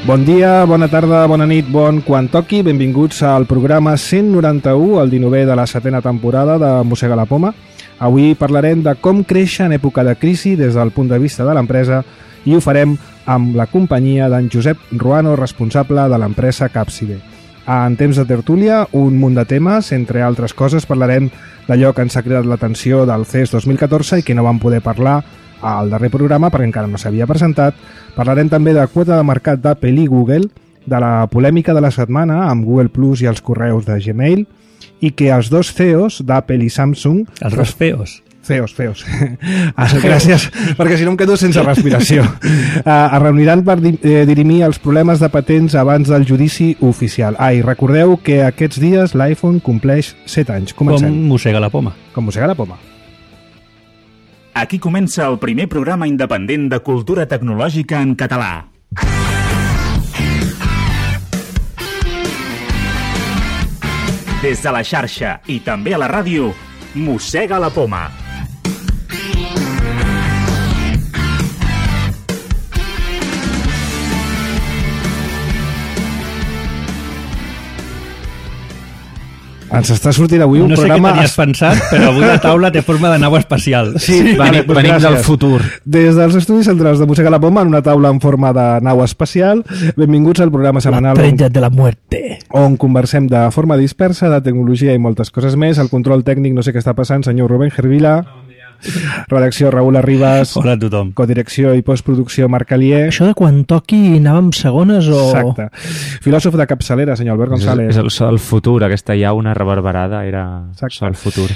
Bon dia, bona tarda, bona nit, bon quan toqui. Benvinguts al programa 191, el 19è de la setena temporada de Mossega la Poma. Avui parlarem de com créixer en època de crisi des del punt de vista de l'empresa i ho farem amb la companyia d'en Josep Ruano, responsable de l'empresa Capside. En temps de tertúlia, un munt de temes, entre altres coses parlarem d'allò que ens ha cridat l'atenció del CES 2014 i que no vam poder parlar al darrer programa perquè encara no s'havia presentat. Parlarem també de quota de mercat d'Apple i Google, de la polèmica de la setmana amb Google Plus i els correus de Gmail, i que els dos CEOs d'Apple i Samsung... Els dos feos. Feos. Gràcies, perquè si no em quedo sense respiració. Es reuniran per dirimir els problemes de patents abans del judici oficial. I recordeu que aquests dies l'iPhone compleix 7 anys. Comencem. Com mossega la poma. Com mossega la poma. Aquí comença el primer programa independent de cultura tecnològica en català. Des de la xarxa i també a la ràdio, Mossega la Poma. Ens està sortint avui un programa... No sé què tenies pensat, però avui la taula té forma de nau espacial. Sí, venim del futur. Des dels estudis centrals de Mossega la Poma, en una taula en forma de nau espacial. Benvinguts al programa setmanal... La estrella de la muerte. On conversem de forma dispersa, de tecnologia i moltes coses més. El control tècnic, no sé què està passant, senyor Rubén Gervila. Redacció Raül Arribas. Hola a tothom. Codirecció i postproducció Marc Alier. Això de quan toqui anàvem segones o... Exacte. Filòsof de capçalera, senyor Albert González. És el so del futur, aquesta llauna reverberada era so del futur.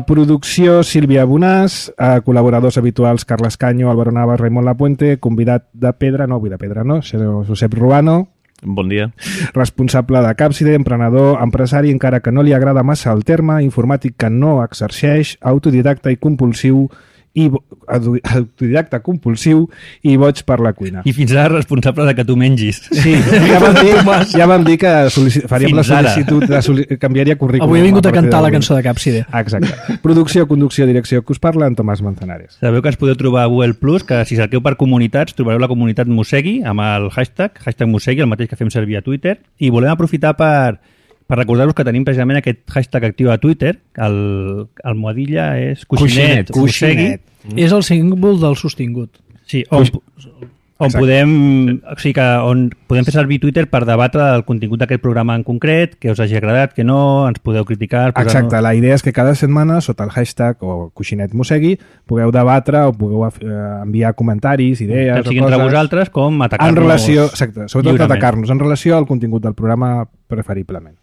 Producció Sílvia Bonàs, col·laboradors habituals Carles Canyo, Álvaro Navas, Raimon Lapuente, convidat de pedra, no, Josep Ruano. Bon dia. Responsable de Capside, emprenedor, empresari, encara que no li agrada massa el terme, informàtic que no exerceix, autodidacta i compulsiu i boig per la cuina. I fins ara responsable de que tu mengis. Sí, ja vam dir que faríem la sol·licitud, canviaria currículum. Avui he vingut a cantar la cançó de Capside. Exacte. Producció, conducció, direcció, que us parla en Tomàs Manzanares. Sabeu que ens podeu trobar a Google Plus, que si cerqueu per comunitats trobareu la comunitat Mossegui amb el hashtag Mossegui, el mateix que fem servir a Twitter, i volem aprofitar per recordar-vos que tenim precisament aquest hashtag actiu a Twitter. El almohadilla és Cuixinet. És el símbol del sostingut. Sí, on podem fer servir Twitter per debatre el contingut d'aquest programa en concret, que us hagi agradat, que no, ens podeu criticar... Exacte, la idea és que cada setmana, sota el hashtag o Cuixinet Mossegui, pugueu debatre o pugueu enviar comentaris, idees o coses... entre vosaltres com atacar-nos... Exacte, sobretot atacar-nos en relació al contingut del programa preferiblement.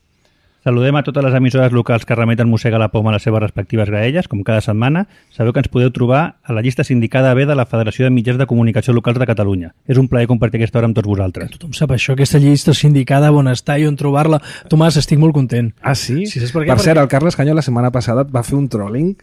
Saludem a totes les emissores locals que remeten Mossega la Poma a les seves respectives graelles, com cada setmana. Sabeu que ens podeu trobar a la llista sindicada B de la Federació de Mitjans de Comunicació Locals de Catalunya. És un plaer compartir aquesta hora amb tots vosaltres. Que tothom sap això, aquesta llista sindicada, on està i on trobar-la. Tomàs, estic molt content. Ah, sí? Sí, per cert, el Carles Canyo la setmana passada va fer un trolling.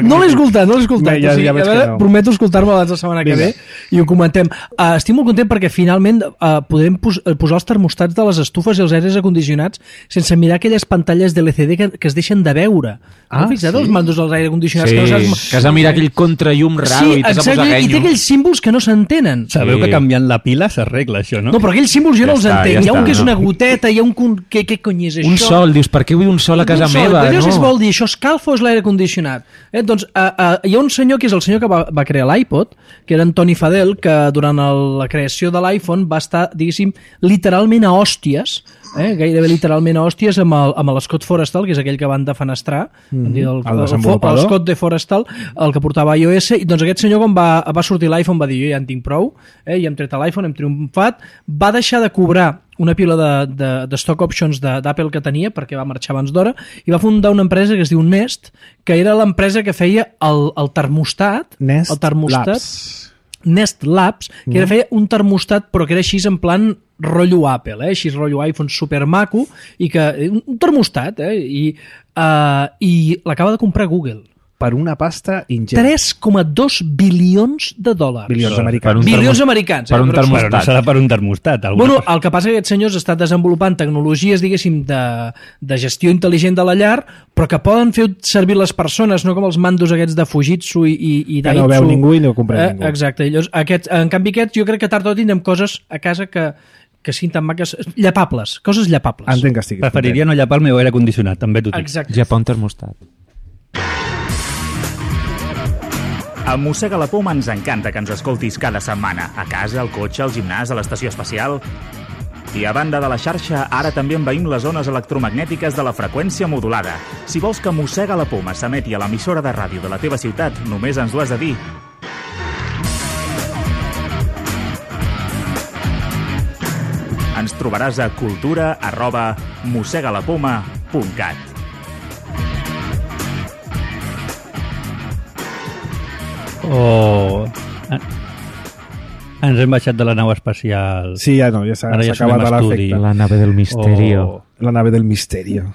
No l'he escoltat. Ja veig que no. Prometo escoltar-me abans la setmana que ve i ho comentem. Estic molt content perquè finalment podrem posar els termostats de les estufes i els aires acondicionats sense mirar aquelles pantalles de LCD que es deixen de veure. Heu fixat els mandos dels aire condicionats? Sí, que no que has de mirar aquell contrallum raro i t'has de posar i té aquells símbols que no s'entenen. Sabeu que canviant la pila s'arregla això, no? No, però aquells símbols jo no els entenc. Hi ha un que és una goteta, hi ha un... Què cony és això? Un sol, dius, per què vull un sol a casa meva? No sé si vol dir, això escalfa o és l'aire condicionat? Doncs hi ha un senyor que és el senyor que va crear l'iPod, que era en Tony Fadell, que durant la creació de l'iPhone va estar, diguéssim, literalment a hòsties, gairebé literalment a hòsties amb l'Scott Forrestal, que és aquell que van defenestrar, l'Scott de Forrestal, el que portava iOS, i doncs aquest senyor quan va sortir l'iPhone va dir, jo ja en tinc prou, i hem tret l'iPhone, hem triomfat, va deixar de cobrar una pila de stock options d'Apple que tenia perquè va marxar abans d'hora i va fundar una empresa que es diu Nest, que era l'empresa que feia el termostat, Nest Labs, que feia un termostat però que era així en plan rotllo Apple, així rotllo iPhone super maco, i que un termostat, i l'acaba de comprar Google. per una pasta ingent. 3,2 bilions de dòlars. Bilions americans. Bilions americans. Per un Però termostat. no serà per un termostat. Bueno, el que passa és que aquests senyors estan desenvolupant tecnologies, diguéssim, de gestió intel·ligent de la llar, però que poden fer servir les persones, no com els mandos aquests de Fujitsu i Que Daitsu. no veu ningú i no comprèn ningú. Exacte. I llavors, en canvi aquests, jo crec que tard o tard tindrem coses a casa que siguin tan maques, llapables, coses llapables. Entenc que estiguis Preferiria no llapar el meu aire condicionat, també t'ho dic. Exacte. Japó un termostat. A Mossega la Poma ens encanta que ens escoltis cada setmana, a casa, al cotxe, al gimnàs, a l'estació espacial. I a banda de la xarxa, ara també envaïm les zones electromagnètiques de la freqüència modulada. Si vols que Mossega la Poma s'emeti a l'emissora de ràdio de la teva ciutat, només ens ho has de dir. Ens trobaràs a cultura@mossegalapoma.cat. Oh... Ens hem baixat de la nau espacial. Sí, ja no, ja s'ha Ara ja acabat som en estudi. l'efecte. La nave del misterio. Oh. La nave del misterio.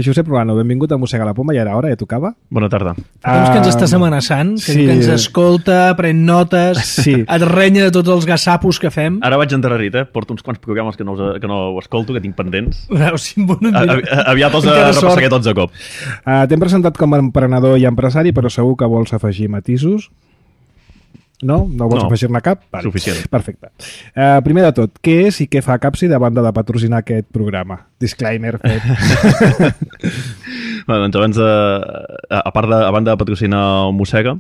Josep Ruano, benvingut a Mossega la Poma, ja era hora, ja tocava. Bona tarda. Temps que ens estàs amenaçant, que, sí. que ens escolta, pren notes, Sí. et renya de tots els gassapos que fem. Ara vaig endarrerit, Porto uns quants programes que no ho escolto, que tinc pendents. Veus, bueno, Aviat els encara sort. repassaré tots a cop. T'hem presentat com a emprenedor i empresari, però segur que vols afegir matisos. No? No vols No. afegir-ne cap? Suficient. Perfecte. Primer de tot, què és i què fa Capsi de banda de patrocinar aquest programa? Disclaimer fet. Bé, doncs abans a banda de patrocinar el Mossega,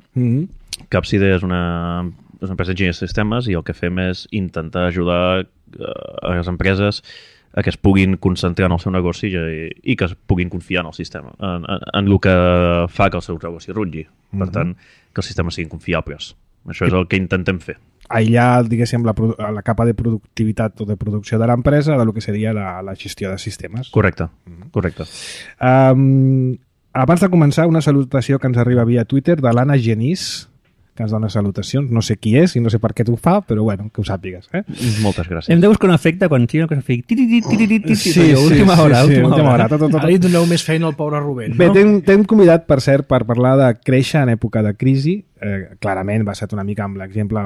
Capside és una empresa d'enginyeria de sistemes i el que fem és intentar ajudar a les empreses a que es puguin concentrar en el seu negoci i que es puguin confiar en el sistema, en el que fa que el seu negoci rutlli. Per tant, que els sistemes siguin confiables. Això és el que intentem fer. Aïllar, diguéssim, la capa de productivitat o de producció de l'empresa de lo que seria la gestió de sistemes. Correcte, correcte. Abans de començar, una salutació que ens arriba via Twitter de l'Anna Genís, que ens dona salutacions. No sé qui és i no sé per què t'ho fa, però bueno, que ho sàpigues. Moltes gràcies. Hem de buscar un efecte quan sigui una cosa fic. Sí, Última hora. Tot. Ara li doneu més feina al pobre Rubén, Bé, no? t'hem convidat, per cert, per parlar de créixer en època de crisi. Clarament basat una mica amb l'exemple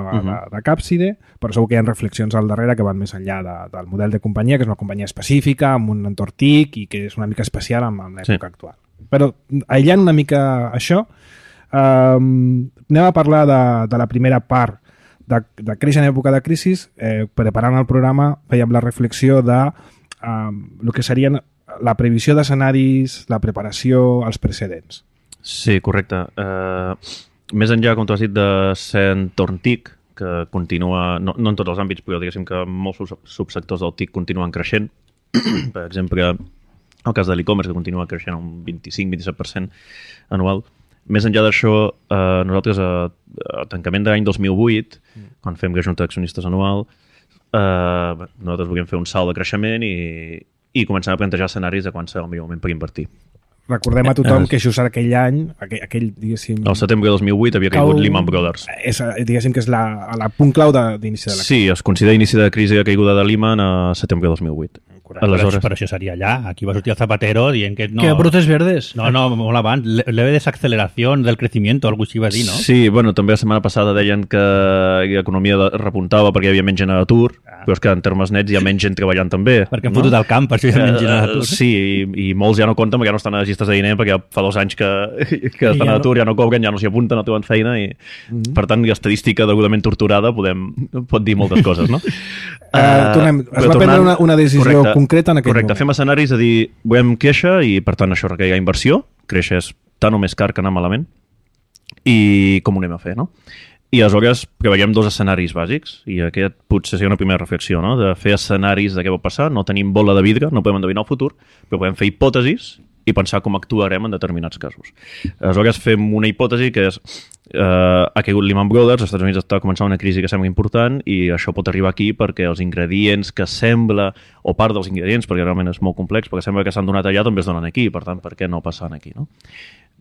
de Capside, però segur que hi ha reflexions al darrere que van més enllà del model de companyia, que és una companyia específica, amb un entorn TIC i que és una mica especial en l'època actual. Però aïllant una mica això, anem a parlar de la primera part de créixer en època de crisi. Preparant el programa fèiem la reflexió de el que serien la previsió d'escenaris, la preparació, els precedents. Sí, correcte. Més enllà, com tu has dit, de ser entorn TIC, que continua, no en tots els àmbits, però diguéssim que molts subsectors del TIC continuen creixent. Per exemple, el cas de l'e-commerce, que continua creixent un 25-27% anual. Més enllà d'això, nosaltres a tancament de l'any 2008, quan fem la junta d'accionistes anual, nosaltres volíem fer un salt de creixement i començar a plantejar escenaris de quan serà el millor moment per invertir. Recordem a tothom que just aquell any, aquell diguéssim... El setembre de 2008 havia caigut Lehman Brothers. Diguéssim que és la punt clau d'inici de la crisi. Sí, es considera inici de crisi de caiguda de Lehman a setembre de 2008. Aleshores... Però això seria allà. Aquí va sortir el Zapatero dient que no... Que brotes verdes. No, molt abans. Leve desaceleració del crecimiento, algo així va dir, no? Sí, bueno, també la setmana passada deien que l'economia repuntava perquè hi havia menys gent a l'atur, però és que en termes nets hi ha menys gent treballant també. Perquè han fotut al camp, per això hi ha menys gent a l'atur. Sí, i molts ja no compten perquè ja no estan a registres de diner, perquè fa 2 anys que estan a l'atur, ja no cobren, ja no s'hi apunten, no troben feina, i per tant, l'estadística degudament torturada pot dir moltes coses, no? Tornem. Es va prendre una decisió concreta en aquell moment. Correcte, fem escenaris de dir, volem créixer i per tant això requereix inversió, créixer és tant o més car que anar malament, i com ho anem a fer, no? I aleshores preveiem 2 escenaris bàsics, i aquest potser seria una primera reflexió, no? De fer escenaris de què pot passar, no tenim bola de vidre, no podem endevinar el futur, però podem fer hipòtesis i pensar com actuarem en determinats casos. Aleshores fem una hipòtesi que és ha caigut Lehman Brothers, als Estats Units està començant una crisi que sembla important i això pot arribar aquí perquè els ingredients que sembla, o part dels ingredients, perquè realment és molt complex, perquè sembla que s'han donat allà també es donen aquí, per tant, per què no passant aquí, no?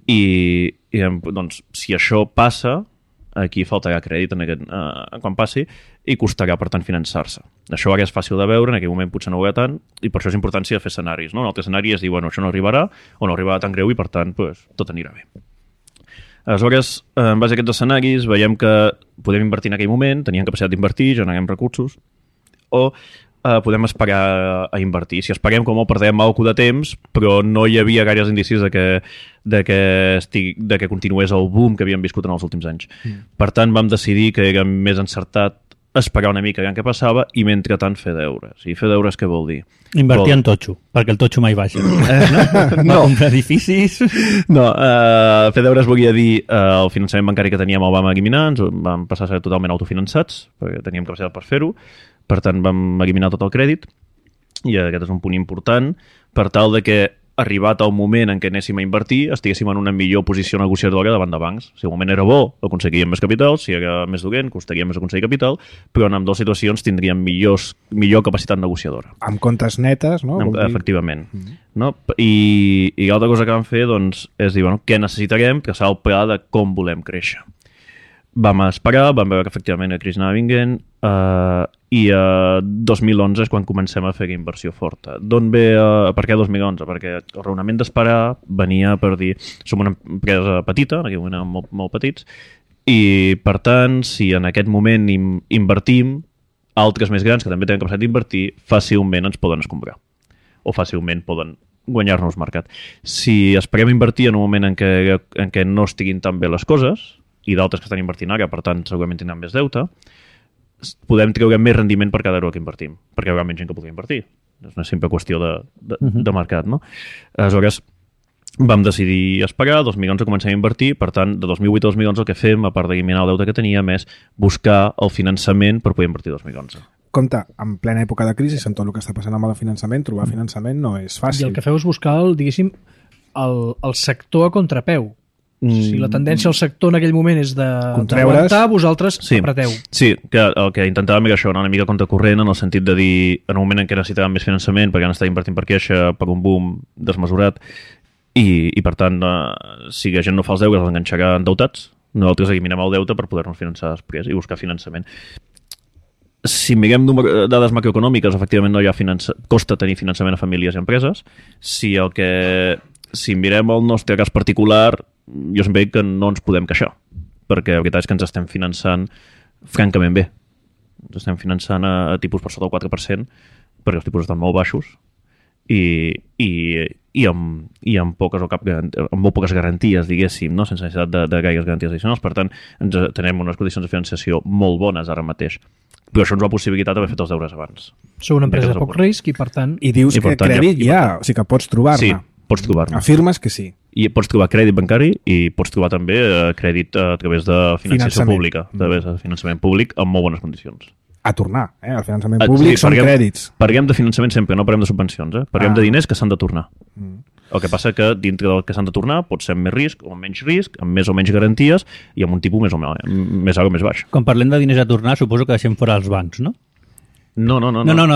I doncs, si això passa, aquí faltarà crèdit quan passi i costarà, per tant, finançar-se. Això ara és fàcil de veure, en aquell moment potser no ho veurà tant, i per això és importància de fer escenaris, no? Un altre escenari és dir, bueno, això no arribarà, o no arribarà tan greu i, per tant, pues, tot anirà bé. Aleshores, en base a aquests escenaris, veiem que podem invertir en aquell moment, teníem capacitat d'invertir, generem recursos, o podem esperar a invertir. Si esperem, com perdem molt de temps, però no hi havia gaires indicis de que continués el boom que havíem viscut en els últims anys. Per tant, vam decidir que era més encertat esperar una mica què passava i, mentrestant, fer deures. I fer deures què vol dir? Invertir en totxo, perquè el totxo mai baixa. No. Comprar edificis... No, fer deures volia dir el finançament bancari que teníem el vam eliminar, ens vam passar a ser totalment autofinançats, perquè teníem capacitat per fer-ho, per tant vam eliminar tot el crèdit, i aquest és un punt important, per tal de que, arribat el moment en què anéssim a invertir, estiguéssim en una millor posició negociadora davant de bancs. Si el moment era bo, aconseguíem més capital, si era més dolent, costaria més aconseguir capital, però en ambdues situacions tindríem millor capacitat negociadora. Amb comptes netes, no? Efectivament. No? I l'altra cosa que vam fer doncs, és dir, bueno, què necessitarem, traçar el pla de com volem créixer. Vam esperar, vam veure que efectivament la crisi anava vinguent, i a 2011 és quan comencem a fer inversió forta. D'on ve, per què 2011? Perquè el raonament d'esperar venia per dir, som una empresa petita, en aquell moment érem molt petits, i per tant, si en aquest moment invertim, altres més grans que també tenen capacitat d'invertir, fàcilment ens poden escombrar, o fàcilment poden guanyar-nos mercat. Si esperem invertir en un moment en què no estiguin tan bé les coses, i d'altres que estan invertint ara, per tant, segurament tindran més deute, podem treure més rendiment per cada euro que invertim, perquè hi haurà menys gent que pugui invertir. És una simple qüestió de mercat, no? Aleshores, vam decidir esperar, 2011 comencem a invertir, per tant, de 2008 a 2011 el que fem, a part d'eliminar el deute que teníem, és buscar el finançament per poder invertir 2011. Compte, en plena època de crisi, amb tot el que està passant amb el finançament, trobar finançament no és fàcil. I el que feu és buscar, diguéssim, el sector a contrapeu. Si la tendència al sector en aquell moment és d'aguantar, vosaltres apreteu. Sí, que el que intentàvem era això, una mica contracorrent, en el sentit de dir, en un moment en què necessitàvem més finançament, perquè han estat invertint per queixa, per un boom desmesurat, i per tant, si la gent no fa els deures, els enganxarà endeutats, nosaltres eliminem el deute per poder-nos finançar després i buscar finançament. Si mirem dades macroeconòmiques, efectivament no hi ha costa tenir finançament a famílies i empreses. Si mirem el nostre cas particular, jo sempre dic que no ens podem queixar, perquè la veritat és que ens estem finançant francament bé. Ens estem finançant a tipus per sota del 4%, perquè els tipus estan molt baixos i amb molt poques garanties, diguéssim, no? Sense necessitat de gaires garanties addicionals. Per tant, tenim unes condicions de financiació molt bones ara mateix. Però això ens ho ha possibilitat haver fet els deures abans. Sou una empresa de poc risc i, per tant... I dius que crèdit hi ha, o sigui que pots trobar-ne. Sí, pots trobar-ne. Afirmes que sí. I pots trobar crèdit bancari i pots trobar també crèdit a través de financiació pública, a través de finançament públic amb molt bones condicions. A tornar, el finançament públic són crèdits. Parlem de finançament sempre, no parlem de subvencions, parlem de diners que s'han de tornar. El que passa que dintre del que s'han de tornar pot ser amb més risc o amb menys risc, amb més o menys garanties i amb un tipus més alt o més baix. Quan parlem de diners a tornar, suposo que deixem fora els bancs, no? No,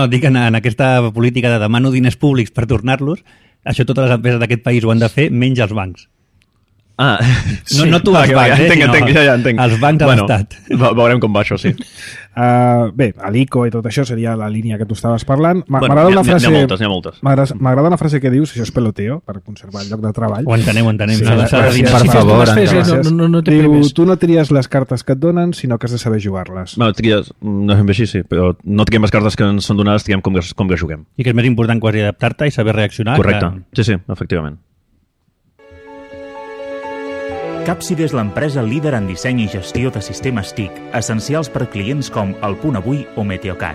dic en aquesta política de demano diners públics per tornar-los, això totes les empreses d'aquest país ho han de fer, menys els bancs. No tu els bancs, ja entenc. Els bancs a l'Estat. Veurem com va això, sí. Bé, l'ICO i tot això seria la línia que tu estaves parlant. M'agrada una frase... N'hi ha moltes. M'agrada una frase que dius, això és peloteo, per conservar el lloc de treball. Ho entenem. Per favor, diu, tu no tries les cartes que et donen, sinó que has de saber jugar-les. Tries, no fem així, sí, però no triem les cartes que ens són donades, triem com que juguem. I que és més important quasi adaptar-te i saber reaccionar. Correcte, sí, efectivament. Capside és l'empresa líder en disseny i gestió de sistemes TIC, essencials per clients com El Punt Avui o Meteocat.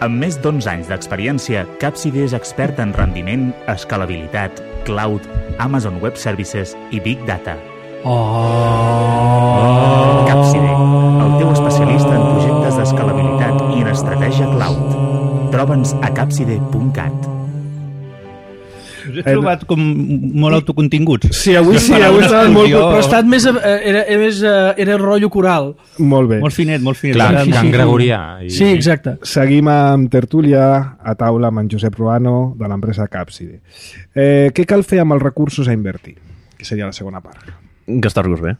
Amb més d'11 anys d'experiència, Capside és expert en rendiment, escalabilitat, cloud, Amazon Web Services i Big Data. Capside, el teu especialista en projectes d'escalabilitat i en estratègia cloud. Troba'ns a capside.cat. Us he trobat com molt autocontinguts. Sí, avui estaven molt... Però ha estat més... Era rotllo coral. Molt bé. Molt finet. Clar, Can Gregorià. Sí, exacte. Seguim amb tertúlia a taula amb en Josep Ruano de l'empresa Capside. Què cal fer amb els recursos a invertir? Que seria la segona part. Gastar-los bé.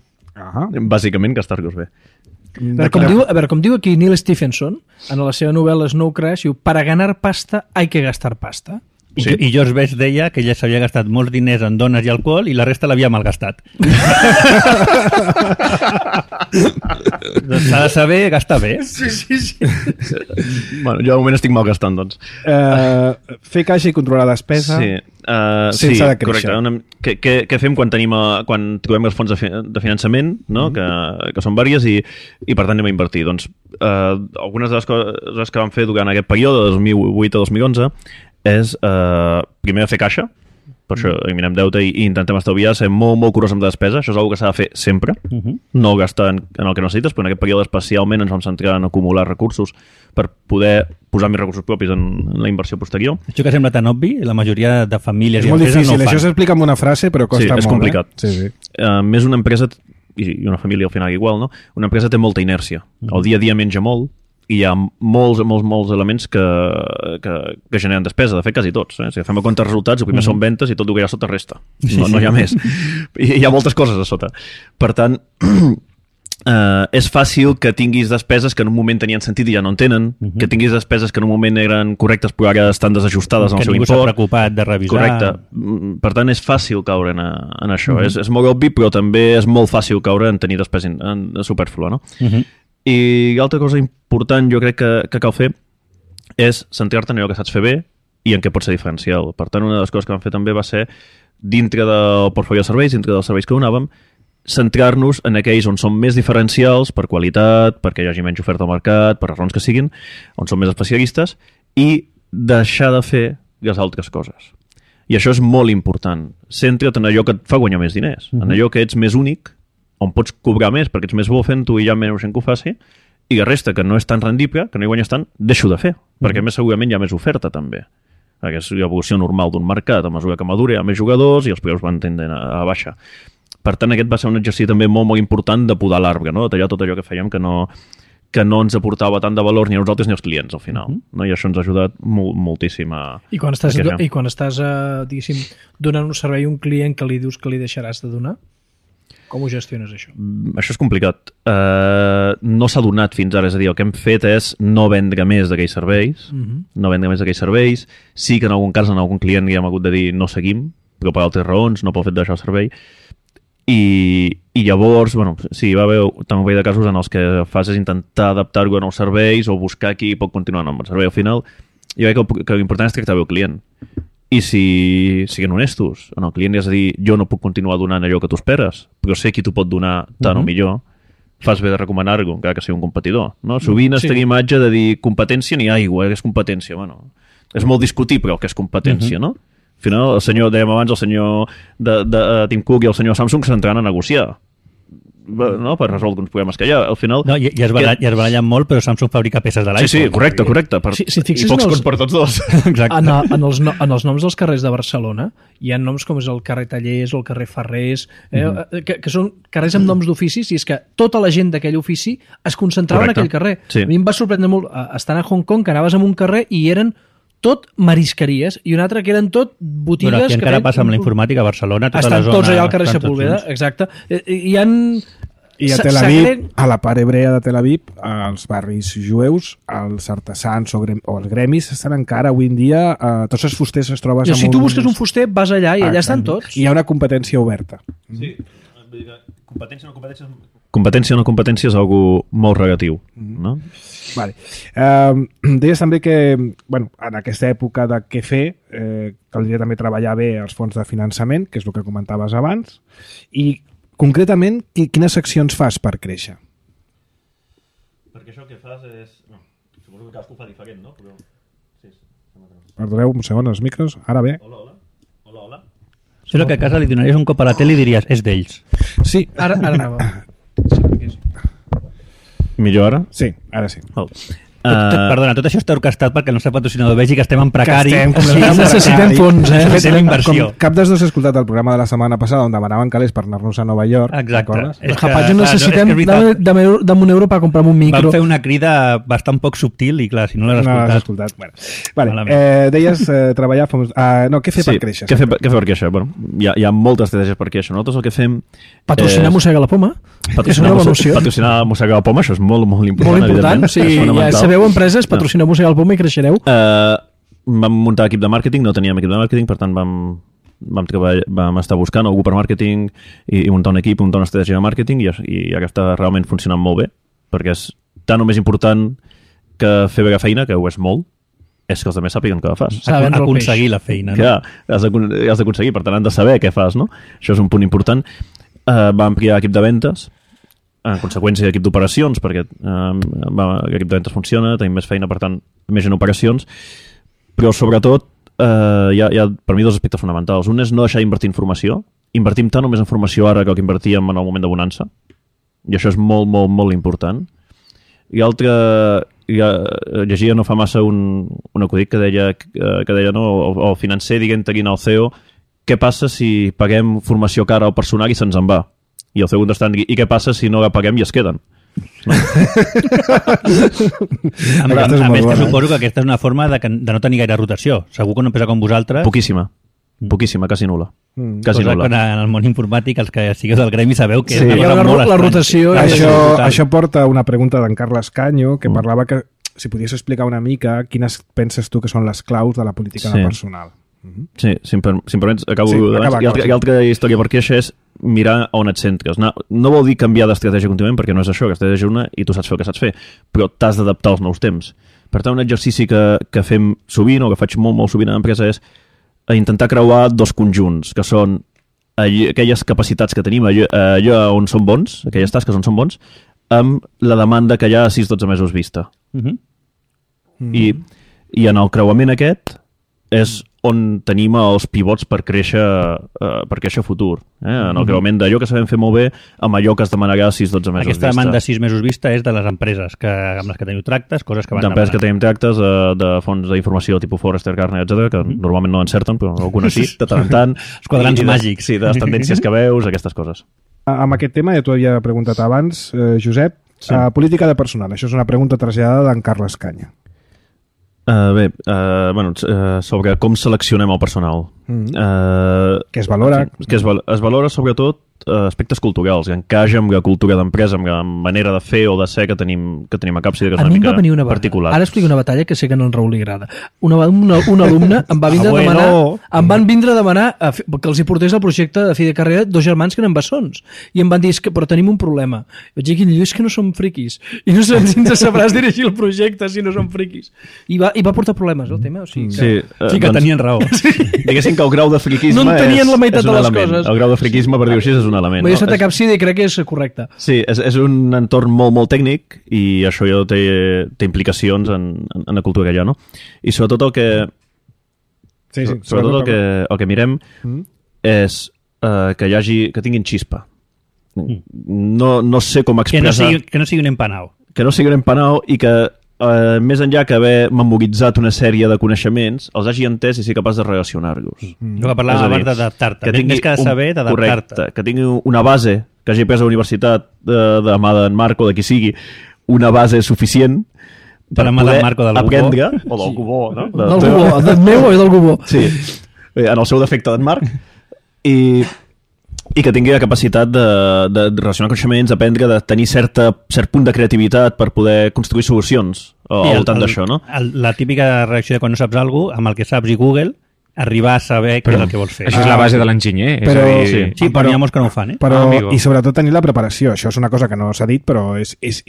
Bàsicament, gastar-los bé. Com diu aquí Neil Stephenson, en la seva novel·la Snow Crash, diu, para ganar pasta hay que gastar pasta. Sí. I George Best deia que ella s'havia gastat molts diners en dones i alcohol i la resta l'havia malgastat. S'ha de saber gastar bé. Sí. Bueno, jo de moment estic malgastant, doncs. Fer caixa i controlar despesa. Sí. Sense de créixer. Correcte. Què fem quan trobem els fons de finançament, no? Que són vàries i per tant anem a invertir? Doncs algunes de les coses que vam fer durant aquest període, de 2008 a 2011, és primer fer caixa, per això eliminem deute i intentem estalviar, ser molt, molt curós amb despesa. Això és una que s'ha de fer sempre, no gastar en el que necessites, però en aquest període especialment ens vam centrar en acumular recursos per poder posar més recursos propis en la inversió posterior. Això que sembla tan obvi, la majoria de famílies és i molt empreses difícil, no ho fan. això s'explica amb una frase però costa molt. És complicat. Sí. Més una empresa, i una família al final igual, no? Una empresa té molta inèrcia. El dia a dia menja molt, i hi ha molts elements que generen despesa, de fet quasi tots. Si agafem a compte els resultats, el primer són ventes i tot el que hi ha sota resta. No hi ha més. I hi ha moltes coses a sota. Per tant, és fàcil que tinguis despeses que en un moment tenien sentit i ja no en tenen, que tinguis despeses que en un moment eren correctes però ara estan desajustades en el seu import. Que ningú s'ha preocupat de revisar. Correcte. Per tant, és fàcil caure en això. És molt obvi, però també és molt fàcil caure en tenir despesa superflua, no? I l'altra cosa important jo crec que cal fer és centrar-te en allò que saps fer bé i en què pot ser diferencial. Per tant, una de les coses que vam fer també va ser, dintre del portfolio de serveis, dintre dels serveis que donàvem, centrar-nos en aquells on són més diferencials per qualitat, perquè hi hagi menys oferta al mercat, per raons que siguin, on són més especialistes, i deixar de fer les altres coses. I això és molt important. Centra't en allò que et fa guanyar més diners, en allò que ets més únic, on pots cobrar més perquè ets més bo fent-ho i hi ha menys gent que ho faci, i la resta, que no és tan rendible, que no hi guanyes tant, deixo de fer, perquè més segurament hi ha més oferta també. Perquè és l'evolució normal d'un mercat, a mesura que madura hi ha més jugadors i els preus van tendent a baixa. Per tant, aquest va ser un exercici també molt, molt important de podar l'arbre, no? De tallar tot allò que fèiem que no ens aportava tant de valor ni a nosaltres ni als clients, al final. No? I això ens ha ajudat moltíssim a... I quan estàs diguéssim, donant un servei a un client que li dius que li deixaràs de donar, com ho gestiones, això? Això és complicat. No s'ha donat fins ara. És a dir, el que hem fet és no vendre més d'aquells serveis. No vendre més d'aquells serveis. Sí que en algun cas, en algun client hi hem hagut de dir no seguim, però per altres raons, no pel fet de deixar el servei. I llavors, bueno, sí, va haver també de casos en els que fas és intentar adaptar-ho a nous serveis o buscar qui pot continuar amb el servei. Al final, jo crec que l'important és tractar bé el client. I si siguin honestos, en el client li has de dir jo no puc continuar donant allò que tu esperes, però sé qui t'ho pot donar tant o millor, fas bé de recomanar-ho, encara que sigui un competidor. No? Sovint es té l'imatge de dir competència ni aigua, és competència. Bueno, és molt discutible el que és competència, no? Al final, dèiem abans, el senyor de Tim Cook i el senyor Samsung s'entraran a negociar, no? Per resoldre uns problemes que hi ha. Al final... No, i es barallen molt, però Samsung fabrica peces de l'iPhone. Sí, correcte. Si I pocs cons per tots dos. Exacte. En els noms dels carrers de Barcelona hi ha noms com és el carrer Tallers o el carrer Ferrers, que són carrers amb noms d'oficis, i és que tota la gent d'aquell ofici es concentrava en aquell carrer. Sí. A mi em va sorprendre molt, estant a Hong Kong, que anaves en un carrer i eren tot marisqueries, i un altre que eren tot botigues... Bueno, aquí encara passa amb la informàtica a Barcelona, tota estan la zona... tots allà al carrer Sepúlveda, exacte. I a Tel Aviv, a la part hebrea de Tel Aviv, als barris jueus, els artesans o els gremis estan encara avui en dia, tots els fusters es trobes... Si tu busques un fuster, vas allà i allà estan tots. I hi ha una competència oberta. Sí, competència o no competència és algo molt relatiu, no? Vale. Deies també que en aquesta època de què fer caldria també treballar bé els fons de finançament, que és el que comentaves abans, i concretament quines accions fas per créixer? Perquè això que fas és... No, suposo que cadascú fa diferent, no? Però... Sí, perdoneu un segon, els micros, ara bé. Hola. Sembla que a casa li donaries un cop a la tele i diries, és d'ells. Sí. Ara anava. Millor ara? Sí, ara sí. Perdona, tot això està orquestat perquè el nostre patrocinador vegi que estem en precari. Necessitem fons, Fem inversió. Cap dels dos he escoltat el programa de la setmana passada on demanaven calés per anar-nos a Nova York. Exacte. Japatge, necessitem de un euro per comprar un micro. Vam fer una crida bastant poc subtil i clar, si no l'has escoltat... Bueno, deies treballar... No, què fer per créixer? Què fer per créixer? Bueno, hi ha moltes estratègies per créixer. Nosaltres el que fem... Patrocinar Mossega la Poma. És una bona opció. Patrocinar Mossega la Poma, això és molt important. Molt important. Sí, ja sabeu empreses, patrocineu Mossega la Poma i creixereu. vam muntar equip de màrqueting, no teníem equip de màrqueting, per tant vam estar buscant algú per màrqueting i muntar un equip, muntar una estratègia de màrqueting i ara està realment funcionant molt bé, perquè és tan o més important que fer bé la feina, que ho és molt, és que els altres sàpiguen què fas. Aconseguir la feina. No? Clar, has d'aconseguir, per tant han de saber què fas, no? Això és un punt important. Va ampliar l'equip de ventes, en conseqüència l'equip d'operacions, perquè l'equip de ventes funciona, tenim més feina, per tant, més en operacions, però sobretot hi ha per mi dos aspectes fonamentals. Un és no deixar d'invertir en formació. Invertim tant o més en formació ara que el que invertíem en el moment de bonança, i això és molt, molt, molt important. I l'altre, llegia no fa massa un acudit que deia no, el financer dient-te al CEO què passa si paguem formació cara al personal i se'ns en va? I el CEO contestant, i què passa si no la paguem i es queden? No? A més, que suposo que aquesta és una forma de no tenir gaire rotació. Segur que una empresa com vosaltres... Poquíssima, quasi nul·la. Quasi nul·la. En el món informàtic, els que sigueu del gremi sabeu que... Sí. La rotació... Això porta una pregunta d'en Carles Canyo, que parlava que si podies explicar una mica quines penses tu que són les claus de la política de personal. Sí, si em permets, acabo. I altra història per queixa és mirar on et centres. No vol dir canviar d'estratègia contínuament, perquè no és això, que estratègia una i tu saps fer el que saps fer, però t'has d'adaptar als nous temps. Per tant, un exercici que fem sovint, o que faig molt, molt sovint a l'empresa, és intentar creuar dos conjunts, que són aquelles capacitats que tenim, allò on som bons, aquelles tasques on som bons, amb la demanda que hi ha a 6-12 mesos vista. I en el creuament aquest és on tenim els pivots per créixer a futur. En el creuament d'allò que sabem fer molt bé amb allò que es demanarà 6-12 mesos Aquesta demanda de 6 mesos vista és de les empreses amb les que teniu tractes, coses que van d'empreses que tenim tractes, de fons d'informació tipus Forrester, Gartner, etc, que normalment no encerten, però algunes sí, de tant en tant. Els quadrants màgics. Sí, de les tendències que veus, aquestes coses. Amb aquest tema, ja t'ho havia preguntat abans, Josep, política de personal. Això és una pregunta traslladada d'en Carles Canya. Sobre com seleccionem el personal. Què es valora? Es valora sobretot aspectes culturals, que encaixa amb la cultura d'empresa, amb la manera de fer o de ser que tenim a Capside, que és una mica particular. Ara explico una batalla que sé que no en Raül li agrada. Un alumne em va vindre a demanar, em van vindre a demanar que els hi portés el projecte de fi de carrera dos germans que eren bessons. I em van dir, però tenim un problema. Vaig dir, és que no som friquis. I no sé si ens sabràs dirigir el projecte si no som friquis. I va portar problemes, el tema. O sigui que tenien raó. Diguéssim que el grau de friquisme no entenien la meitat de les coses. El grau de friquisme, per dir-ho així, és un element. He estat a Capside i crec que és correcte. Sí, és un entorn molt, molt tècnic i això ja té implicacions en la cultura que hi ha, no? I sobretot el que mirem és que tinguin xispa. No sé com expressar... Que no sigui un empanao. Que no sigui un empanao i que més enllà que haver memoritzat una sèrie de coneixements, els hagi entès i sigui capaç de relacionar-los. El que parlàvem abans d'adaptar-te. Més que de saber, d'adaptar-te. Correcte, que tingui una base, que hagi pres a la universitat de mà d'en Marco, de qui sigui, una base suficient per poder aprendre, o del Gubó, no? Del Gubó, del meu o del Gubó. Sí, en el seu defecte d'en Marc, i que tingui la capacitat de relacionar coneixements, aprendre, de tenir cert punt de creativitat per poder construir solucions al voltant d'això, no? La típica reacció de quan no saps alguna cosa, amb el que saps i Google, arribar a saber què és el que vols fer. Això és la base de l'enginyer. Sí, però n'hi ha molts que no ho fan, I sobretot tenir la preparació. Això és una cosa que no s'ha dit, però és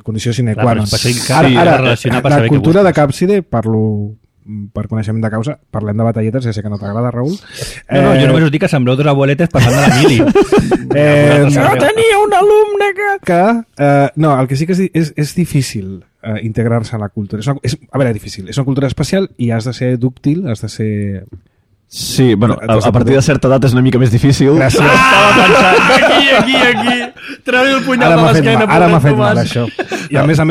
condició sine qua non. Ara, la cultura de Capside, parlo per coneixement de causa, parlem de batalletes, ja sé que no t'agrada, Raül. No, jo només us dic que sembleu dos abueletes passant de la mili. No tenia un alumne que... No, el que sí que és difícil integrar-se a la cultura. A veure, difícil. És una cultura especial i has de ser dúctil, has de ser... Sí, bueno, a partir de certa edat és una mica més difícil. Estava pensant, aquí. Treu el punyal de l'esquena. Ara m'ha fet mal, això. I a més, a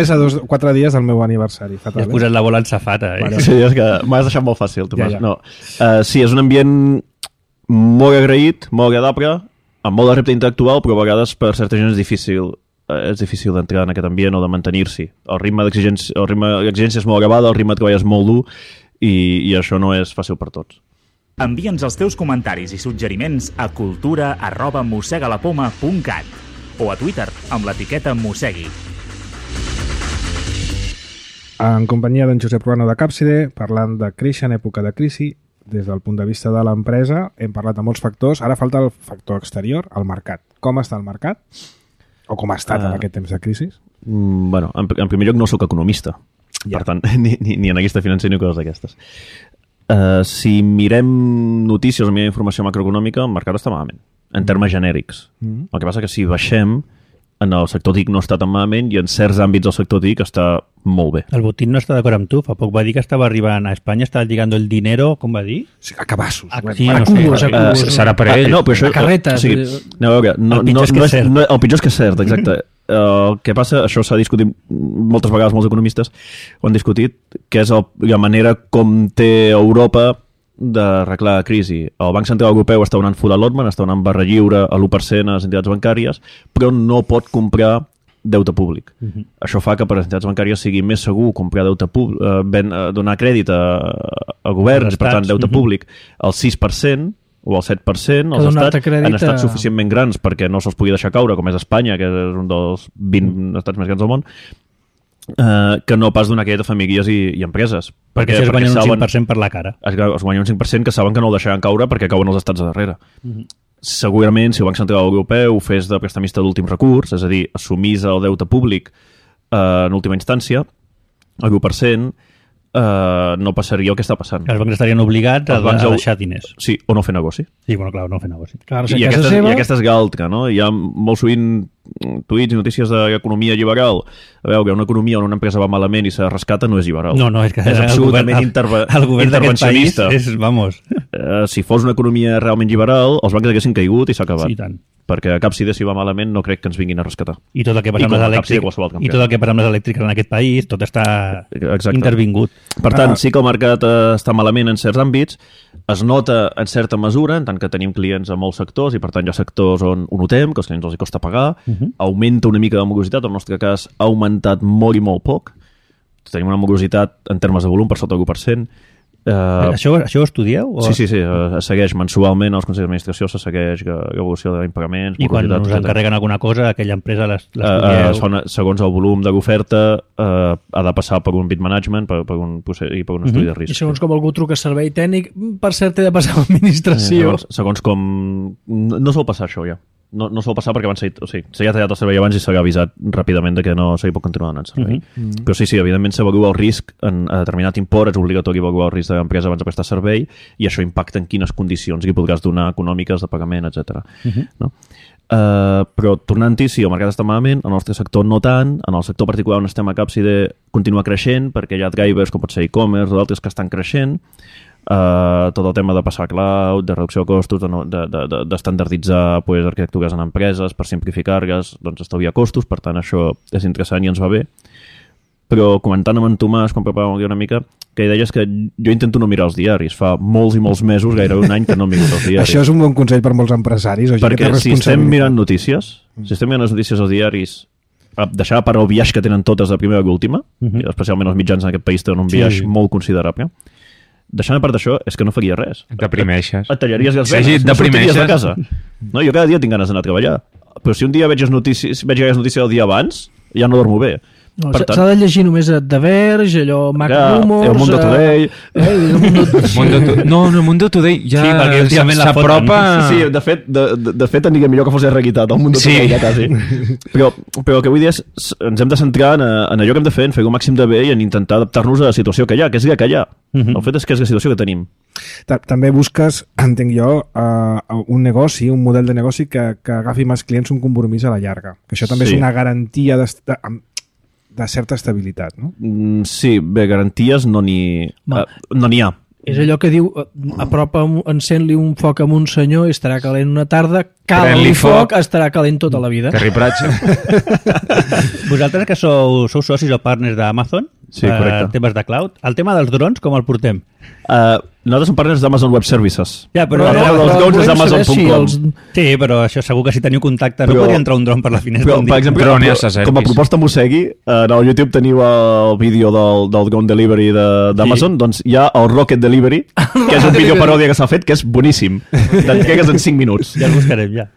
4 dies del meu aniversari. Fatal, has posat la bola en safata. Sí, és que m'has deixat molt fàcil, Tomàs. No. Sí, és un ambient molt agraït, molt agradable, amb molt de repte intel·lectual, però a vegades per certa gent és difícil d'entrar en aquest ambient o de mantenir-s'hi. El ritme d'exigència és molt elevada, el ritme de treball és molt dur i això no és fàcil per tots. Envia'ns els teus comentaris i suggeriments a cultura@mosegalapoma.cat o a Twitter amb l'etiqueta Mosegui. en companyia d'en Josep Ruano de Capside, parlant de créixer en època de crisi. Des del punt de vista de l'empresa hem parlat de molts factors, ara falta el factor exterior, el mercat. Com està el mercat? O com ha estat en aquest temps de crisi? Bueno, en primer lloc no sóc economista, per tant, ni analista financer ni coses d'aquestes. Si mirem notícies o mirem informació macroeconòmica, el mercat està malament, en termes genèrics. El que passa que si baixem, en el sector TIC no està tan malament i en certs àmbits del sector TIC està molt bé. El Botín no està d'acord amb tu. Fa poc va dir que estava arribant a Espanya, estava lligando el dinero, com va dir? Sí, a cabassos. Sí, no sé. Serà per ell. No, però això, a carretes. O sigui, a veure, El pitjor és que és cert. el pitjor és que és cert, exacte. El que passa, això s'ha discutit moltes vegades, molts economistes ho han discutit, que és la manera com té Europa d'arreglar la crisi. El Banc Central Europeu està donant full allotment, està donant barra lliure a l'1% a les entitats bancàries, però no pot comprar deute públic. Això fa que per les entitats bancàries sigui més segur comprar deute públic, donar crèdit a governs, per tant, deute públic al 6% o al 7%, els estats han estat suficientment grans perquè no se'ls pugui deixar caure, com és Espanya, que és un dels 20 estats més grans del món, que no pas donar crèdit a famílies i empreses. Perquè si es guanyen un 5% per la cara. Es guanyen un 5% que saben que no el deixaran caure perquè cauen els estats de darrere. Segurament, si el Banc Central Europeu fes de prestamista d'últim recurs, és a dir, assumís el deute públic en última instància, el 1%, no passaria el que està passant. Els bancs estarien obligats a deixar diners. Sí, o no fer negoci. Sí, bueno, clar, no fer negoci. Clar, I aquesta és l'altra, no? Hi ha molt sovint tuits i notícies d'economia liberal. A veure, una economia on una empresa va malament i se rescata no és liberal. No, és que és absolutament el govern d'aquest país és, vamos... Si fos una economia realment liberal, els bancs haguessin caigut i s'ha acabat. Sí, tant. Perquè a Capside, si va malament, no crec que ens vinguin a rescatar. I tot el que passa amb les elèctriques, i tot el que passa amb les elèctriques en aquest país, tot està intervingut. Per tant, sí que el mercat està malament en certs àmbits, es nota en certa mesura, en tant que tenim clients a molts sectors, i per tant hi ha sectors on ho notem, que als clients els costa pagar, augmenta una mica de morositat, en el nostre cas ha augmentat molt i molt poc, tenim una morositat en termes de volum per sota del 1%. Això ho estudieu? O... Sí, es segueix mensualment als consells d'administració, se segueix l'evolució d'impagaments. I quan us encarreguen alguna cosa, aquella empresa l'estudieu? Segons el volum de l'oferta, ha de passar per un bid management, per un estudi de risc. I segons com algú truca a servei tècnic, per cert, té de passar a l'administració. Segons com... No sol passar això, ja. No sol passar perquè abans s'ha tallat el servei abans i s'ha avisat ràpidament de que no se li pot continuar donant servei. Però sí, evidentment s'avalua el risc a determinat import, és obligatori avaluar el risc de l'empresa abans de prestar servei i això impacta en quines condicions li podràs donar econòmiques de pagament, etc. No? Però tornant-hi, sí, el mercat està malament, en el nostre sector no tant, en el sector particular on estem a Capside continua creixent perquè hi ha drivers com pot ser e-commerce o d'altres que estan creixent. Tot el tema de passar a cloud, de reducció de costos, d'estandarditzar arquitectures en empreses per simplificar-les, doncs estalviar costos, per tant això és interessant i ens va bé. Però comentant amb en Tomàs, quan preparàvem el guió una mica, que deies que jo intento no mirar els diaris. Fa molts i molts mesos, gairebé un any, que no he mirat els diaris. Això és un bon consell per molts empresaris. Perquè si estem mirant notícies, les notícies als diaris, deixar per el viatge que tenen totes de primera i última, especialment els mitjans en aquest país tenen un viatge molt considerable, deixant a part d'això, és que no faria res. Et deprimeixes. Et tallaries les venes, no sortiries de casa. No, jo cada dia tinc ganes d'anar a treballar. Però si un dia veig les notícies el dia abans, ja no dormo bé. No, s'ha de llegir només The Verge, allò Mac Rumors... El Mundo Today... No, el Mundo Today ja s'apropa... Sí, de fet aniria millor que fos realitat, el Mundo Today ja quasi. Però el que vull dir és ens hem de centrar en allò que hem de fer, en fer el màxim de bé i en intentar adaptar-nos a la situació que hi ha, que és la que hi ha. El fet és que és la situació que tenim. També busques, entenc jo, un negoci, un model de negoci que agafi més clients, un compromís a la llarga. Que això també és una garantia de certa estabilitat, no? Sí, bé, garanties no n'hi ha. És allò que diu, encén-li un foc a un senyor i estarà calent una tarda, cala-li foc, estarà calent tota la vida. Terry Pratchett. Vosaltres que sou socis o partners d'Amazon, temes de cloud, el tema dels drons com el portem? Nosaltres som partners d'Amazon Web Services. Ja, però els drones és Amazon.com. Sí, però això segur que si teniu contacte no podria entrar un dron per la finestra. Per exemple, com a proposta Mosegui, en el YouTube teniu el vídeo del drone delivery d'Amazon, doncs hi ha el Rocket Delivery, que és un vídeo paròdia que s'ha fet, que és boníssim. T'entregues en 5 minuts. Ja el buscarem, ja.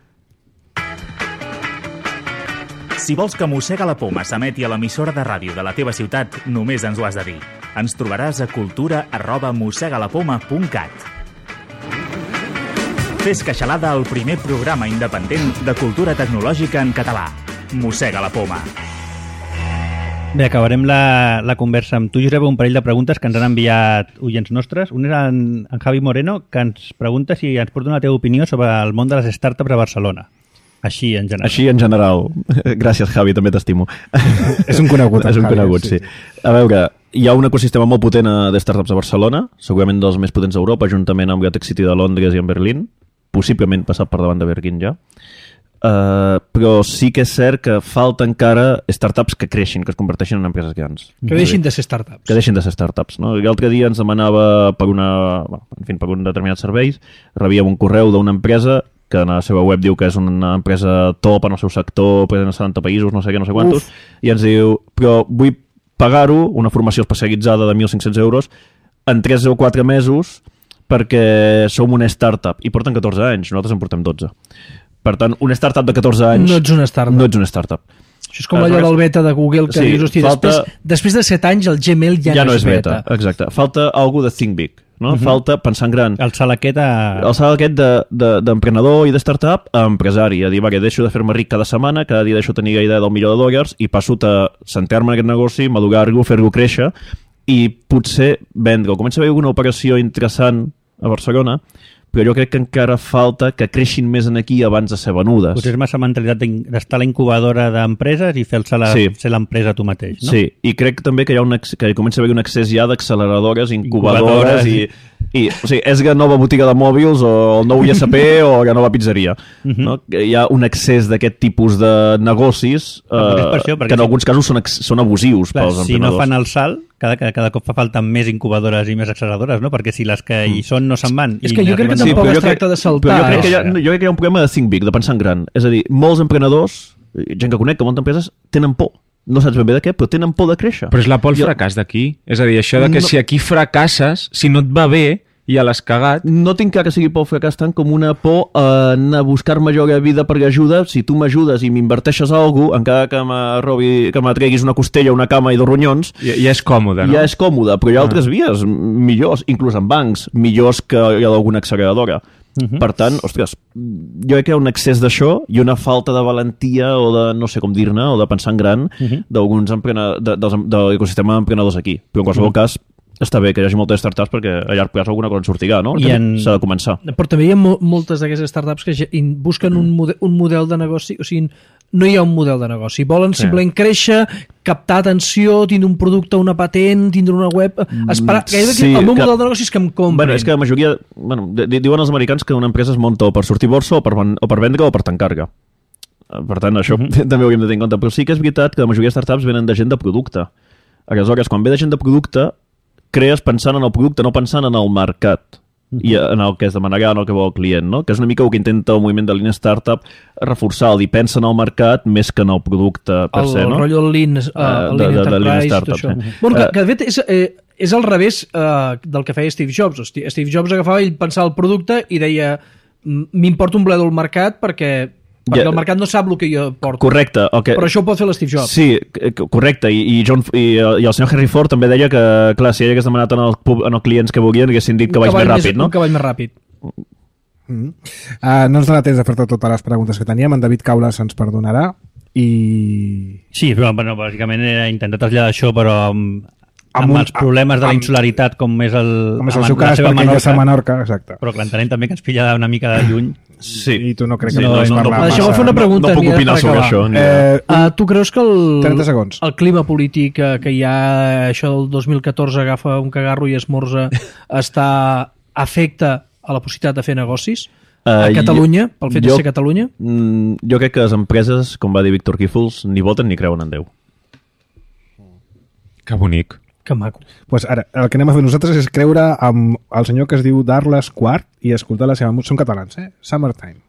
Si vols que Mossega la Poma s'emeti a l'emissora de ràdio de la teva ciutat, només ens ho has de dir. Ens trobaràs a cultura@mossegalapoma.cat. Fes Queixalada, el primer programa independent de cultura tecnològica en català. Mossega la Poma. Bé, acabarem la conversa amb tu, Josep, un parell de preguntes que ens han enviat oients nostres. Un és en Javi Moreno, que ens pregunta si ens pot donar la teva opinió sobre el món de les startups a Barcelona. Així, en general. Així, en general. Gràcies, Javi, també t'estimo. És un conegut. És un Javi, conegut, sí. A veure, hi ha un ecosistema molt potent de startups a Barcelona, segurament dels més potents d'Europa, juntament amb Gatech City de Londres i amb Berlín, possiblement passat per davant de Berlín ja. Però sí que és cert que falta encara startups que creixin, que es converteixin en empreses grans. Que deixin de ser startups. Que deixin de ser startups. No? L'altre dia ens demanava per un determinat serveis, rebíem un correu d'una empresa que en la seva web diu que és una empresa top en el seu sector, present en 70 països, no sé què, no sé quantos, i ens diu, però vull pagar-ho, una formació especialitzada de 1.500 euros, en 3 o 4 mesos, perquè som una startup. I porten 14 anys, nosaltres en portem 12. Per tant, una startup de 14 anys... No ets una startup. No ets una startup. Això és com allò del beta de Google, que dius, hosti, després de 7 anys el Gmail ja no és beta. Exacte. Falta algú de think big, no? Falta pensar en gran. El salt aquest d'emprenedor i de startup a empresari, a dir, va, que deixo de fer-me ric cada setmana, cada dia deixo de tenir la idea del $1.000.000 i passo a centrar-me en aquest negoci, madurar-lo, fer-lo créixer i potser vendre. Comença a haver alguna operació interessant a Barcelona, però jo crec que encara falta que creixin més en aquí abans de ser venudes. Potser és massa mentalitat d'estar a la incubadora d'empreses i ser l'empresa tu mateix, no? Sí, i crec també que que comença a haver un accés ja d'acceleradores, incubadores i o sigui, és la nova botiga de mòbils o el nou ISP o la nova pizzeria. No? Hi ha un accés d'aquest tipus de negocis que en alguns casos són abusius pels emprenedors. Si no fan el salt, cada cop fa falta més incubadores i més acceleradores, no? Perquè si les que hi són no se'n van... És que jo crec que tampoc es tracta de saltar. Jo crec que hi ha un problema de think big, de pensar en gran. És a dir, molts emprenedors, gent que conec, que moltes empreses, tenen por. No saps ben bé de què, però tenen por de créixer. Però és la por al fracàs d'aquí. És a dir, això de que si aquí fracasses, si no et va bé, ja l'has cagat. No tinc clar que sigui por al fracàs tant com una por a anar a buscar major vida per ajuda. Si tu m'ajudes i m'inverteixes alguna cosa, encara que me treguis una costella, una cama i 2 ronyons... Ja és còmode, no? Ja és còmode, però hi ha altres vies millors, inclús en bancs, millors que hi ha d'alguna acceleradora. Per tant, ostres, jo crec que hi ha un excés d'això i una falta de valentia o de, no sé com dir-ne, o de pensar en gran d'alguns de l'ecosistema d'emprenedors aquí. Però en qualsevol cas, està bé que hi hagi moltes startups perquè a llarg plaç alguna cosa en sortirà, no? S'ha de començar. Però també hi ha moltes d'aquestes startups que busquen un model de negoci, o sigui, no hi ha un model de negoci. Volen simplement créixer, captar atenció, tindre un producte, una patent, tindre una web... Esperar... el meu model de negoci és que em comprin. Bueno, és que la majoria... diuen els americans que una empresa es monta o per sortir borsa o per vendre o per tancar-la. Per tant, això també ho hauríem de tenir en compte. Però sí que és veritat que la majoria de startups venen de gent de producte. Aleshores, quan ve de gent de producte, crees pensant en el producte, no pensant en el mercat i en el que es demanarà, en el que vol el client, no? Que és una mica el que intenta el moviment de Lean Startup reforçar, el dir, pensa en el mercat més que en el producte per se, no? El rotllo del Lean Enterprise, tot això. Bueno, que de fet és al revés del que feia Steve Jobs. Steve Jobs agafava i pensava el producte i deia, m'importa un bledo el mercat perquè el mercat no sap el que jo porto. Correcte. Però això ho pot fer l'Steve Jobs. Sí, correcte. I el senyor Henry Ford també deia que, clar, si ell hagués demanat en els clients que volien, haguessin dit que vaig més ràpid, no? Un cavall més ràpid. No ens dona temps de fer totes les preguntes que teníem. En David Caules ens perdonarà i... Sí, però bueno, bàsicament era intentar traslladar això, però amb els problemes de la insularitat com és el seu cas, perquè ell és a Menorca, exacte. Però que l'entenem també que ens pilla una mica de lluny. Sí, i tu no crec que no Deixeu-me fer una pregunta. No puc opinar sobre això. Tu creus que 30 segons. El clima polític que hi ha, això del 2014 agafa un cagarro i esmorza, afecta a la possibilitat de fer negocis a Catalunya, pel fet de ser Catalunya? Jo crec que les empreses, com va dir Víctor Gífols, ni voten ni creuen en Déu. Que bonic. Que maco. Pues ara, el que anem a fer nosaltres és creure amb el senyor que es diu Darles Quart i escoltar la seva música. Són catalans, Summertime.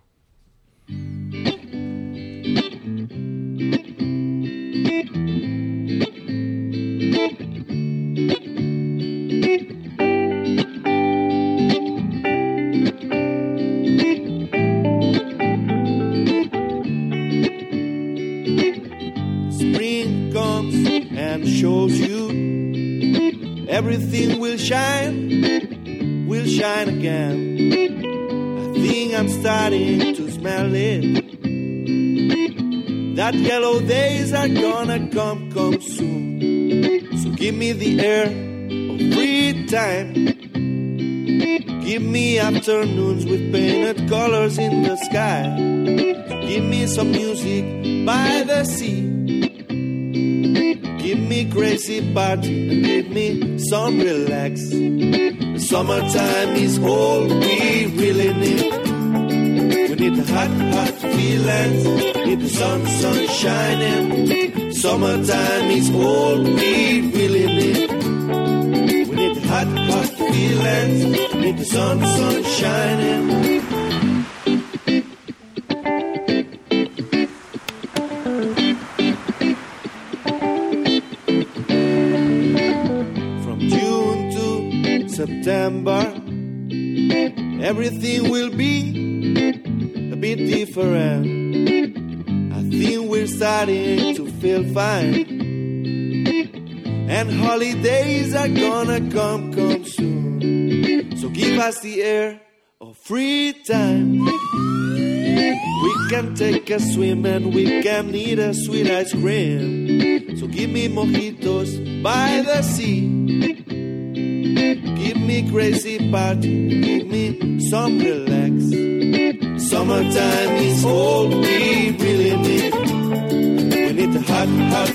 everything will shine again. I think I'm starting to smell it. That yellow days are gonna come soon. So give me the air of free time. Give me afternoons with painted colors in the sky. So give me some music by the sea. Give me crazy party and give me some relax. The summertime is all we really need. We need the hot feelings, need the sun shining. Summertime is all we really need. We need the hot feelings, need the sun shining. From June to September, everything will be a bit different. I think we're starting to feel fine, and holidays are gonna come soon. So give us the air of free time. We can take a swim and we can eat a sweet ice cream. So give me mojitos by the sea. Give me crazy party, give me some relax. Summertime is all we really need. We need the hot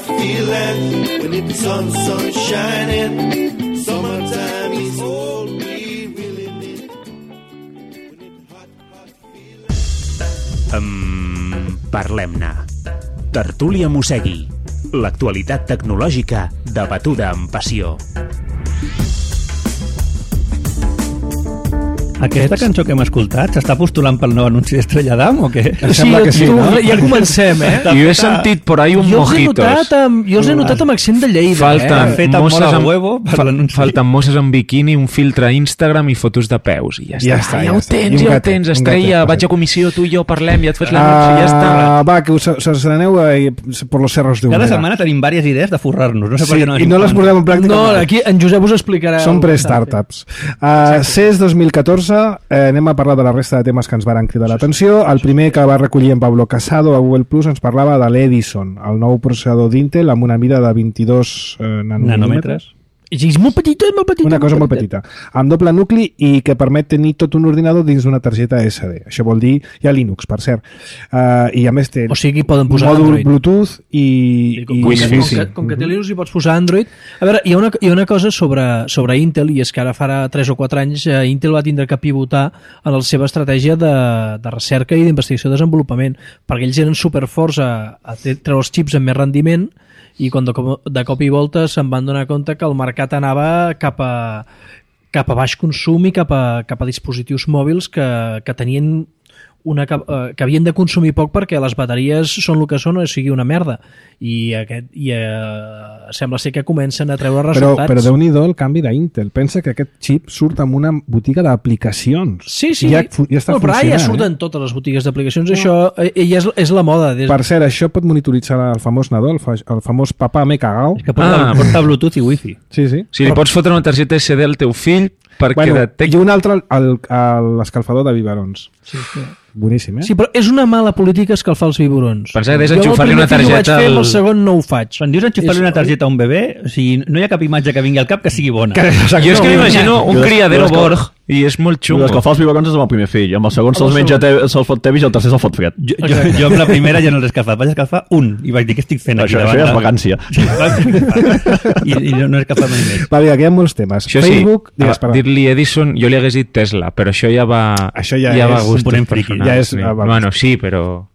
feeling, we need the sun shining. Summertime is all we really need. We need the hot feeling. Parlem-ne. Tertúlia Mossegui. L'actualitat tecnològica debatuda amb passió. Aquesta cançó que hem escoltat s'està postulant pel nou anunci d'Estrella d'Am o què? Sembla que sí, no? Ja comencem, Jo he sentit por ahí un mojitos. Jo els he notat amb accent de Lleida. Falten mosses amb biquini, un filtre a Instagram i fotos de peus. I ja està. Ja ho tens, Estrella. Vaig a comissió, tu i jo parlem, ja et fas l'anunci, ja està. Va, que us aneu per los cerros de Cada setmana tenim diverses idees de forrar-nos. No sé per què no i no les posem en pràctica. No, aquí en Josep us explicarà. Són pre-startups. CES 2014, anem a parlar de la resta de temes que ens varen cridar l'atenció. El primer que va recollir en Pablo Casado a Google Plus ens parlava de l'Edison, el nou processador d'Intel amb una mida de 22 nanòmetres. És molt petita, és molt petita. Una cosa molt petita. Amb doble nucli i que permet tenir tot un ordinador dins d'una targeta SD. Això vol dir, hi ha Linux, per cert. I a més té poden posar mòdul Android. Bluetooth i Wi-Fi. Com que té Linux hi pots posar Android. A veure, hi ha una cosa sobre Intel, i és que ara farà 3 o 4 anys Intel va tindre que pivotar en la seva estratègia de recerca i d'investigació i desenvolupament, perquè ells eren superforts a treure els xips amb més rendiment, i quan de cop i volta se'n van donar compte que el mercat anava cap a baix consum i cap a dispositius mòbils que tenien que havien de consumir poc perquè les bateries són el que són, o sigui, una merda, i sembla ser que comencen a treure resultats. Però Déu-n'hi-do el canvi d'Intel. Pensa que aquest xip surt amb una botiga d'aplicacions. Sí. Ja està però funcionant. Ja surten totes les botigues d'aplicacions. Això ja és la moda. Per cert, això pot monitoritzar el famós nadó, el famós papà m'he cagat. És que porta Bluetooth i Wi-Fi. Sí. Si li pots fotre una targeta SD al teu fill perquè i un altre, l'escalfador de biberons. Sí. Boníssim, Sí, però és una mala política escalfar els biberons. Pensa que deies enxufar-li una targeta... Jo el segon no ho faig. Quan dius enxufar-li una targeta a un bebè, o sigui, no hi ha cap imatge que vingui al cap que sigui bona. Jo és que m'imagino un criadero Borg i és molt xungo. Escalfar els biberons és amb el primer fill. Amb el segon se'ls menja, se'ls fot tevis i el tercer se'l fot fred. Jo amb la primera ja no l'he escalfat. Vaig escalfar un i vaig dir què estic fent aquí davant. Això ja és vacància. I no he escalfat mai més. Va, vinga, que hi ha molts temes. Això Facebook... dir-li Edison, jo li hagués dit Tesla, però això ja va... Això ja va a gustos personals. Ja és... Bueno, sí, però...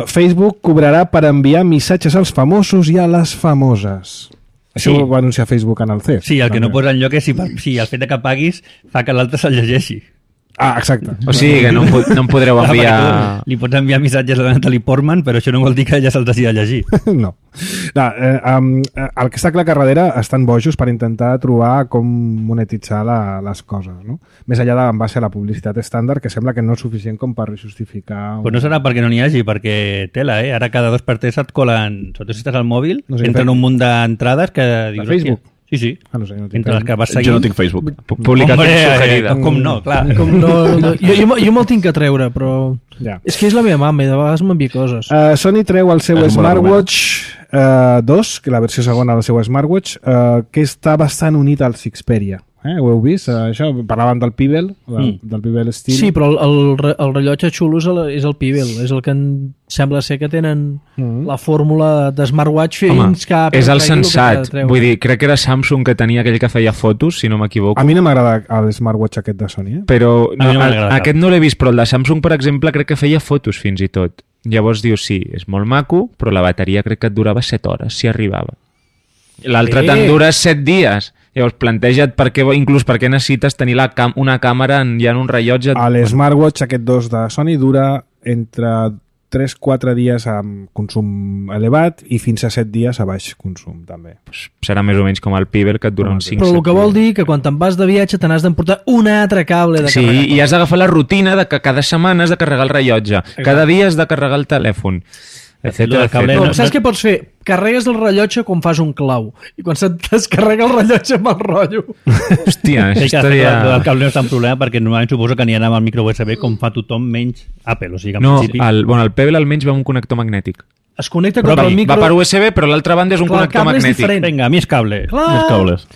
Facebook cobrarà per enviar missatges als famosos i a les famoses. Això ho va anunciar Facebook en el CES. Sí, el que no posa enlloc és si el fet de que paguis fa que l'altre se'l llegeixi. Ah, exacte. O sigui que no em podreu enviar... Li pots enviar missatges a la Natalie Portman, però això no vol dir que ella se'ls hagi de llegir. No. El que està clar que darrere estan bojos per intentar trobar com monetitzar les coses, no? Més enllà en base a la publicitat estàndard, que sembla que no és suficient com per justificar... Pues no serà perquè no n'hi hagi, perquè tela, Ara cada 2 per 3 et colen, sobretot si estàs al mòbil, no sé, entren un munt d'entrades que dius... Facebook. Sí. Ah, no sé, no tinc Entre les que vas seguir... Jo no tinc Facebook. Publicació suggerida. Com no, clar. Jo me'l tinc que treure, però... Ja. És que és la meva mama i de vegades m'envia coses. Sony treu el seu És un bon Smartwatch 2, que la versió segona del seu Smartwatch, que està bastant unit al Xperia. Ho heu vist? Això, parlaven del Pebble, del Pebble Steel. Sí, però el rellotge xulo és el Pebble, és el que sembla ser que tenen la fórmula de smartwatch fins cap... És el sensat. Vull dir, crec que era Samsung que tenia aquell que feia fotos, si no m'equivoco. A mi no m'agrada el smartwatch aquest de Sony, Però A mi no m'agrada cap. aquest no l'he vist, però el de Samsung, per exemple, crec que feia fotos fins i tot. Llavors dius, sí, és molt maco, però la bateria crec que et durava 7 hores, si arribava. L'altre te'n dura 7 dies. Llavors, planteja't inclús per què necessites tenir una càmera ja en un rellotge. L'Smartwatch aquest 2 de Sony dura entre 3-4 dies amb consum elevat i fins a 7 dies a baix consum, també. Serà més o menys com el Pebble, que et dura uns 5-7 Però el que vol dir que quan te'n vas de viatge te n'has d'emportar un altre cable de Sí, carregar. i has d'agafar la rutina de que cada setmana has de carregar el rellotge, cada dia has de carregar el telèfon, etcètera. No, saps què pots fer? Carregues el rellotge quan fas un clau i quan se't descarrega el rellotge amb el rotllo. Hòstia, Sí, això que estaria... el cable no és tan problema perquè normalment suposo que aniran amb el micro USB com fa tothom menys Apple, o sigui que en No, principi... el Pebble almenys va amb un connector magnètic. Es connecta Però contra el micro... Va per USB, però l'altra banda és un Clar, el connector cable és magnètic. diferent. Vinga, més cable. Clar, Més cables.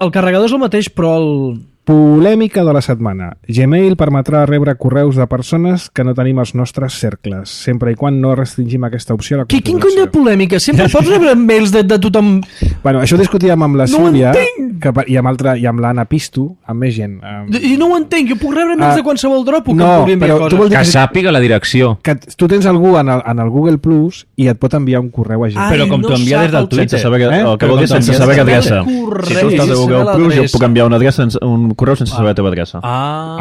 el carregador és el mateix, però el... Polèmica de la setmana. Gmail permetrà rebre correus de persones que no tenim als nostres cercles, sempre i quan no restringim aquesta opció a la Quin cony de configuració. polèmica? Sempre pots rebre mails de tothom... Bueno, això ho discutíem amb la No ho Sílvia entenc! i amb l'Anna Pisto, amb més gent. I no ho entenc, jo puc rebre mails de qualsevol Dropbox que no, em pugui enviar però coses. tu vols dir Que sàpiga la direcció. que tu tens algú en el Google Plus i et pot enviar un correu a Gmail. Però com t'ho envia des del Twitter. Sense saber que, el que Però vol dir com sense t'envies saber que també. adreça. Si tu estàs a Google Plus, jo puc enviar una adreça, un correu sense saber la teva adreça.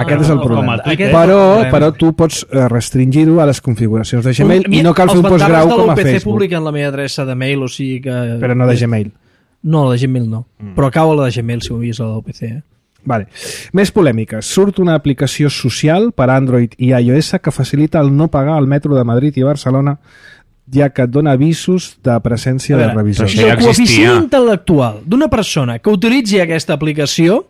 Aquest és el problema. Aquest és el Però, problema. però tu pots restringir-ho a les configuracions de Gmail i no cal fer un postgrau com a Els Facebook. publiquen la meva adreça de mail, o sigui que... Però no de Gmail. No, la de Gmail no. Però cau a la de Gmail si ho vist a l'UPC. Vale. Més polèmiques. Surt una aplicació social per Android i iOS que facilita el no pagar al metro de Madrid i Barcelona, ja que et dona avisos de presència de revisors. això Si ja el coeficient existia. intel·lectual d'una persona que utilitzi aquesta aplicació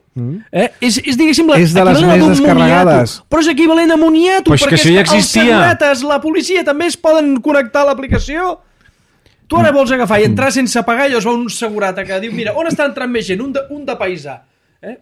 és diguéssim, És de les equivalent a més d'un descarregades. moniato, però és equivalent a moniato, Però és que perquè això ja els existia. segurates, la policia també es poden connectar a l'aplicació. Tu ara vols agafar i entrar sense pagar i llavors va un segurata que diu, mira, on està entrant més gent? Un de paisà.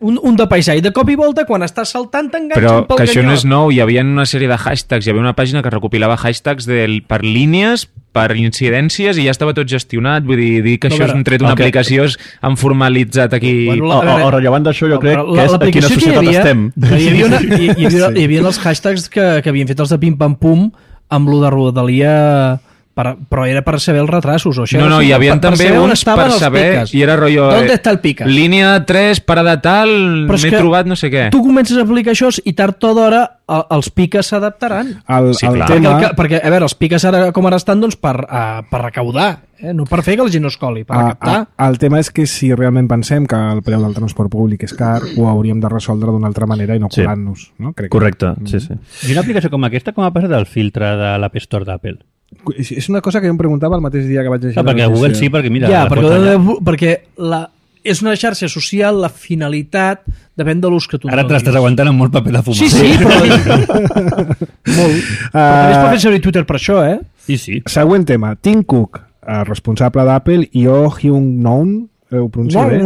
Un de paisà, i de cop i volta quan estàs saltant t'enganxen Però pel que això no canyot. és nou, hi havia una sèrie de hashtags, hi havia una pàgina que recopilava hashtags per línies, per incidències, i ja estava tot gestionat. Vull dir que No, això és un tret d'una aplicació, han formalitzat aquí... Bueno, O rellevant d'això, jo crec que és a quina societat estem. Hi havia els hashtags que havien fet els de Pim Pam Pum amb lo de Rodalia, però era per saber els retrasos. O això No, era hi havia per també saber on uns estaven per els saber, piques. i era rotllo... ¿Dónde está el pica? Línia 3, parada tal, Però és m'he que trobat no sé què. Tu comences a aplicar això i tard o d'hora els piques s'adaptaran. Sí, El clar. tema... Perquè, a veure, els piques ara com ara estan doncs, per recaudar, no per fer que la gent no es coli, per recaptar. El tema és que si realment pensem que el preu del transport públic és car, ho hauríem de resoldre d'una altra manera i no Sí. colant-nos. No? Crec Correcte, sí, sí. I una aplicació com aquesta, com ha passat el filtre de l'App Store d'Apple? És una cosa que jo em preguntava el mateix dia que vaig llegir Ah, perquè la a Google notícia. sí, perquè mira... Ja, la foto allà. perquè és una xarxa social, la finalitat depèn de l'ús que tu Ara te l'estàs aguantant amb molt paper de fumar. Sí, però... Molt. Però també es pot fer servir Twitter per això, eh? Sí. Següent tema. Tim Cook, responsable d'Apple, i Oh Hyun-non, ho pronuncio bé?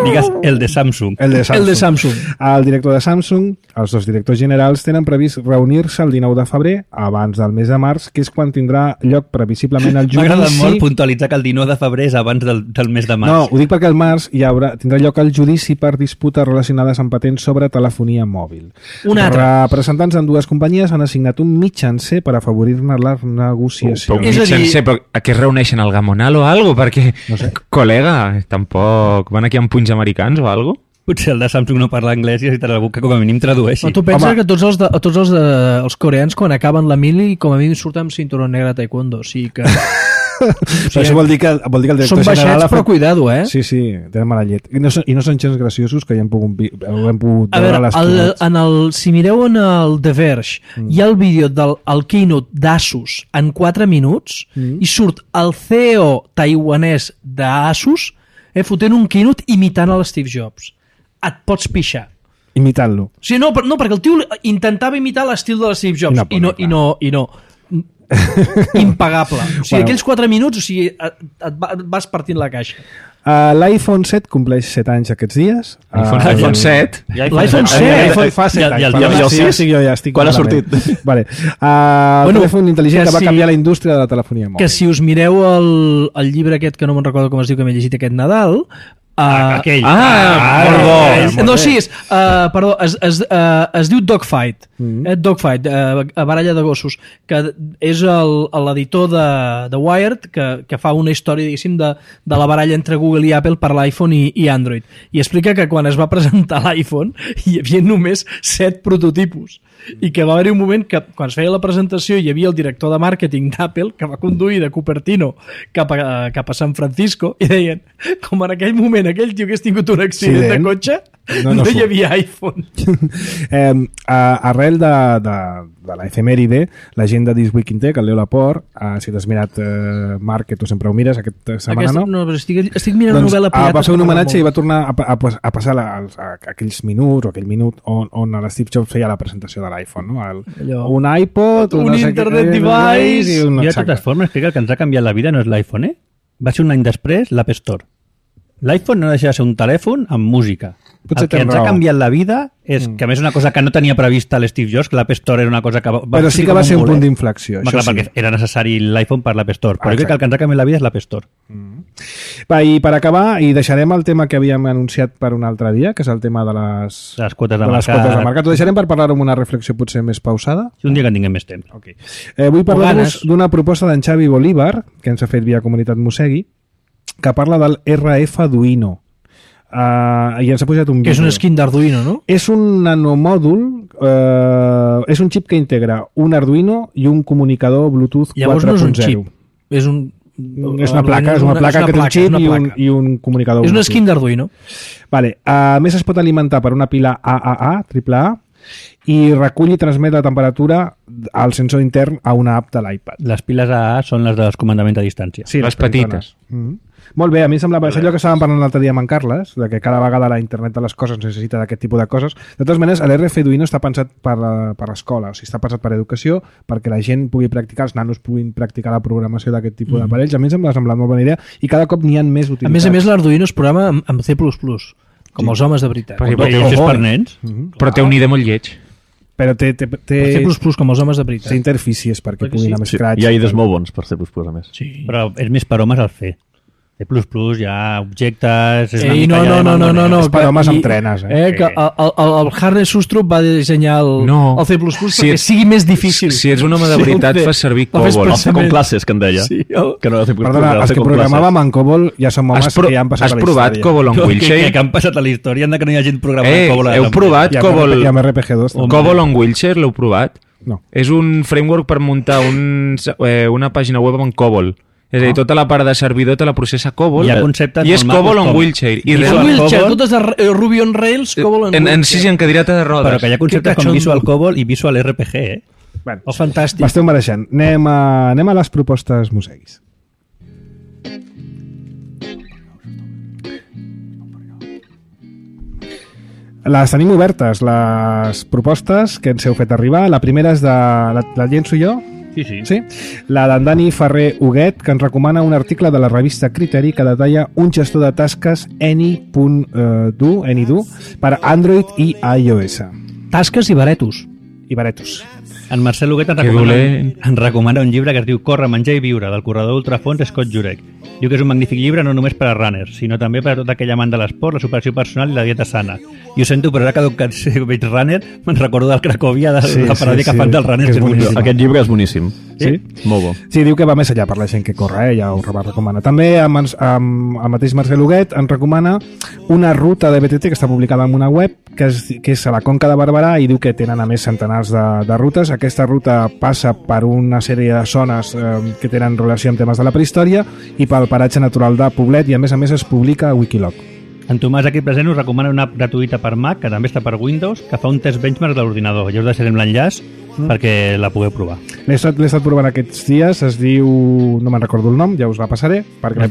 Digues el de Samsung. El de Samsung. El de Samsung. El director de Samsung, els dos directors generals, tenen previst reunir-se el 19 de febrer, abans del mes de març, que és quan tindrà lloc previsiblement el M'ha agradat judici... molt puntualitzar que el 19 de febrer és abans del mes de març. No, ho dic perquè al març tindrà lloc el judici per disputes relacionades amb patents sobre telefonia mòbil. Un altre. Representants d'ambdues companyies han assignat un mitjancer per afavorir-ne la negociació. Però És a dir- sense, però a què es reuneixen, al Gamonal o algo? Perquè, no sé. Col·lega, tampoc... Van aquí amb punys americans o algo? Potser el de Samsung no parla anglès i necessitarà algú que com a mínim tradueixi. No, tu penses Home. que tots els coreans quan acaben la mili com a mínim surten amb cinturó negre a taekwondo, o sigui que Però això vol dir que el director són general... baixets ha fet- però cuidado, eh? Sí, sí, tenen mala llet. I no són gens graciosos que ja hem pogut A veure veure, les keynotes. si mireu en el The Verge, hi ha el vídeo del keynote d'Asus en 4 minuts i surt el CEO taiwanès d'Asus fotent un keynote imitant a l'Steve Jobs. Et pots pixar. Imitant-lo. Sí, no, perquè el tio intentava imitar l'estil de l'Steve Jobs i no. Impagable. O sigui, aquells 4 minuts, o sigui, et vas partint la caixa. L'iPhone 7 compleix 7 anys aquests dies. L'iPhone 7? L'iPhone 7? L'iPhone fa 7 anys. Ja estic quan ha sortit? Vale. Telèfon intel·ligent que va canviar la indústria de la telefonia mòbil. Que si us mireu el llibre aquest, que no me'n recordo com es diu, que m'he llegit aquest Nadal... aquell. Molt bo. No, sí, perdó, es diu Dogfight. Dogfight, baralla de gossos, que és l'editor de Wired, que fa una història, diguéssim, de la baralla entre Google i Apple per l'iPhone i Android. I explica que quan es va presentar l'iPhone hi havia només 7 prototipus. I que va haver-hi un moment que quan es feia la presentació hi havia el director de màrqueting d'Apple que va conduir de Cupertino cap a San Francisco i deien, com en aquell moment aquell tio hagués tingut un accident de cotxe, no hi havia iPhone. Arrel de l'efemèride, la gent de This Week in Tech, el Leo Laporte, si t'has mirat Marc, que tu sempre ho mires, aquesta setmana no, però estic mirant una novel·la pirata. Va fer un homenatge i va tornar a passar aquells minuts o aquell minut on l'Steve Jobs feia la presentació de l'iPhone, no? Un iPod, un internet device... I de totes formes, crec que el que ens ha canviat la vida no és l'iPhone, Va ser un any després l'App Store. L'iPhone no deixa de ser un telèfon amb música. Potser el que ens ha canviat la vida és que a més una cosa que no tenia prevista l'Steve Jobs, que l'App Store era una cosa que però sí que va ser un punt d'inflexió. Clar, perquè era necessari l'iPhone per l'App Store, però crec que el que ens ha canviat la vida és l'App Store. Va, i per acabar, i deixarem el tema que havíem anunciat per un altre dia, que és el tema de les quotes de mercat. Ho deixarem per parlar amb una reflexió potser més pausada? Un dia que en tinguem més temps. Okay. Vull parlar-vos d'una proposta d'en Xavi Bolívar, que ens ha fet via Comunitat Mosegui, que parla del RF Arduino. I ens ha posat un vídeo. Que és un skin d'Arduino, no? És un nanomòdul, és un xip que integra un Arduino i un comunicador Bluetooth 4.0. Llavors no és un xip, és una placa que té un xip i un comunicador Bluetooth. És un skin d'Arduino. Vale. A més es pot alimentar per una pila AAA, i recull i transmet la temperatura al sensor intern a una app de l'iPad. Les piles AA són les dels comandaments a distància. Sí, les petites. Molt bé, a mi em semblava allò que estàvem parlant l'altre dia amb en Carles, de que cada vegada la internet de les coses necessita d'aquest tipus de coses. De totes maneres, l'RF Arduino està pensat per l'escola, o sigui, està pensat per educació, perquè la gent pugui practicar, els nanos puguin practicar la programació d'aquest tipus d'aparells. A mi em sembla molt bona idea i cada cop n'hi ha més utilitats. A més, l'Arduino es programa amb C++, com els homes de veritat. Però és per nens. Però té un IDE molt lleig. Però té C++ com els homes de veritat. Té interfícies perquè puguin anar més Scratch. Hi ha IDEs molt bons per C++, a més. Sí. Però és més per homes al C. C++, hi ha objectes... No. És per homes amb trenes. Que el Harry Sustrup va dissenyar el C++ perquè sigui més difícil. Si ets un home de veritat, fas servir COBOL. El C com classes, que en deia. Perdona, els que programàvem en COBOL ja som homes que ja han passat a la història. Has provat COBOL on Wheelchair? Que han passat a la història, que no hi ha gent programant COBOL. Heu provat COBOL? I amb RPG2. COBOL on Wheelchair, l'heu provat? No. És un framework per muntar una pàgina web amb COBOL. És a dir, tota la part de servidor te la processa COBOL i és COBOL on Wheelchair. Wheelchair, totes Ruby on Rails, COBOL on Wheelchair. Sí, en cadireta de rodes. Però que hi ha conceptes com Visual COBOL i Visual RPG, Bueno, fantàstic. M'esteu mereixent. Anem a les propostes moseguis. Les tenim obertes, les propostes que ens heu fet arribar. La primera és de... La llenço jo? Sí. La d'en Dani Ferrer Huguet, que ens recomana un article de la revista Criteri que detalla un gestor de tasques AnyDo per Android i iOS. Tasques i baretos. En Marcel Huguet ens recomana un llibre que es diu Córrer, menjar i viure, del corredor ultrafons Scott Jurek. Diu que és un magnífic llibre no només per a runners, sinó també per a tot aquell amant de l'esport, la superació personal i la dieta sana. I ho sento, però ara que veig runner me'n recordo del Cracòvia, de la paràdia que fan dels runners. Aquest llibre és boníssim. Sí? Molt bo. Sí, diu que va més allà per la gent que corre, ja ho recomana. També el mateix Marcel Huguet ens recomana una ruta de BTT que està publicada en una web que és a la Conca de Barberà i diu que tenen a més centenars de rutes. Aquesta ruta passa per una sèrie de zones que tenen relació amb temes de la prehistòria i pel paratge natural de Poblet i a més es publica a Wikiloc. En Tomàs aquí present us recomana una app gratuïta per Mac, que també està per Windows, que fa un test benchmark de l'ordinador. Ja us deixarem l'enllaç perquè la pugueu provar. L'he estat provant aquests dies, es diu... no me'n recordo el nom, ja us la passaré. Perquè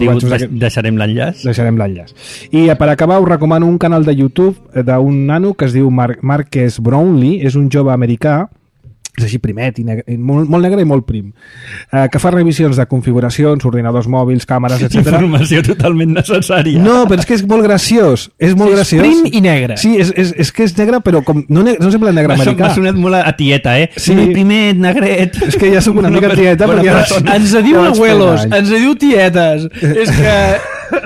Deixarem l'enllaç. Deixarem l'enllaç. I per acabar us recomano un canal de YouTube d'un nano que es diu Marques Brownlee, és un jove americà, és així primet, i negre, molt negre i molt prim, que fa revisions de configuracions, ordinadors mòbils, càmeres, etc. Informació totalment necessària. No, però és que és molt graciós. És molt graciós. Prim i negre. Sí, és que és negre, però com, no sempre negre americà. M'ha sonat molt a tieta, Sí. Primer negret. És que ja soc una mica tieta. Ens diu abuelos, ens diu tietes. És que...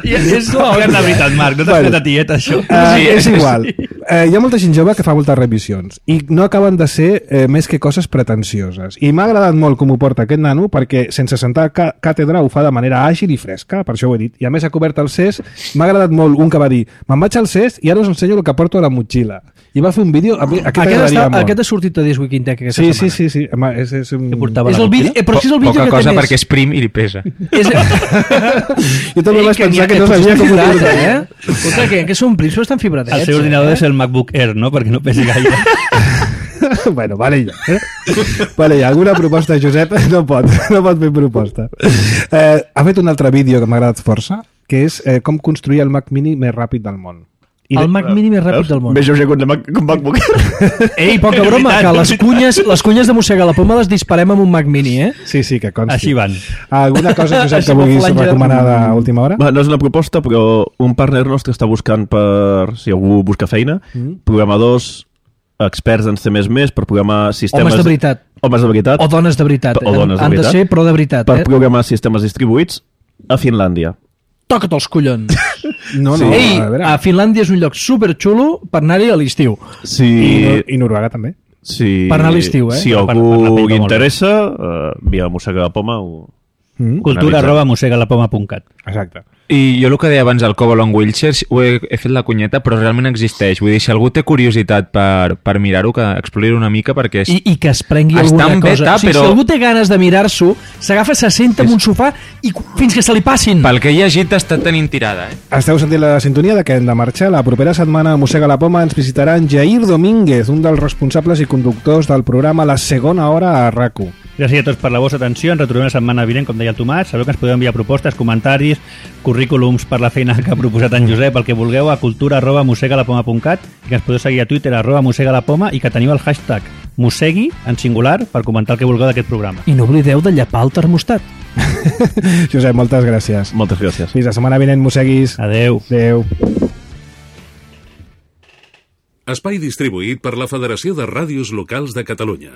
és la veritat, Marc, no t'has fet a tieta, això. És igual. Hi ha molta gent jove que fa moltes revisions i no acaben de ser més que coses pretensioses. I m'ha agradat molt com ho porta aquest nano, perquè sense sentar càtedra ho fa de manera àgil i fresca, per això ho he dit. I a més ha cobert el CES. M'ha agradat molt un que va dir: me'n vaig al CES i ara us ensenyo el que porto a la motxilla. I va fer un vídeo... Aquest ha sortit a Disc Week Intec aquesta setmana. Sí. És un... És el vídeo, però si és el vídeo Poca que cosa té perquè és prim i li pesa. Jo també vaig pensar que no sabia com ho portar. Escolta, que són prims, però estan fibradets. El seu ordinador és el MacBook Air, no? Perquè no pesi gaire. Bueno, vale ja. Vale ja, alguna proposta, Josep? No pot fer proposta. Ha fet un altre vídeo que m'ha agradat força, que és com construir el Mac Mini més ràpid del món. El Mac Mini més ràpid del món. Més lleuger que un MacBook. Ei, poca broma, que les cunyes de Mossega la Poma les disparem amb un Mac Mini, eh? Sí, que consti. Així van. Alguna cosa, Josep, que vulguis recomanar d'última hora? No és una proposta, però un partner nostre està buscant per, si algú busca feina, programadors experts en C++ per programar sistemes... Homes de veritat. Homes de veritat. O dones de veritat. O dones de Han veritat. de ser, però de veritat. Per programar sistemes distribuïts a Finlàndia. Toca't els collons. No, Ei, a veure. a Finlàndia és un lloc superxulo per anar-hi a l'estiu. Sí. I Noruega també. Sí. Per anar a l'estiu, eh? Si Per la algú pinta li molt interessa, via Mossega la Poma ho... cultura@mosegalapoma.cat. Exacte. I jo el que deia abans del Cobble on Wheelchairs he fet la cunyeta, però realment existeix. Vull dir, si algú té curiositat per mirar-ho, que explori una mica, perquè és... I que es prengui Està alguna en cosa. beta, O sigui, però- si algú té ganes de mirar-s'ho, s'agafa, se senta en un sofà i fins que se li passin. Pel que he llegit està tenint tirada, eh? Esteu sentint la sintonia de que hem de marxar. La propera setmana a Mossega la Poma ens visitarà en Jair Domínguez, un dels responsables i conductors del programa La Segona Hora a RAC1. Gràcies a tots per la vostra atenció. Ens retrobem la setmana vinent, com deia el Tomàs. Sabeu que ens podeu enviar propostes, comentaris, currículums per la feina que ha proposat en Josep, el que vulgueu, a cultura@mosegalapoma.cat, i que ens podeu seguir a Twitter @mosegalapoma, i que teniu el hashtag Mossegui en singular per comentar el que vulgueu d'aquest programa. I no oblideu de llapar el termostat. Josep, moltes gràcies. Moltes gràcies. Fins la setmana vinent, Mosseguis. Adeu. Adeu. Espai distribuït per la Federació de Ràdios Locals de Catalunya.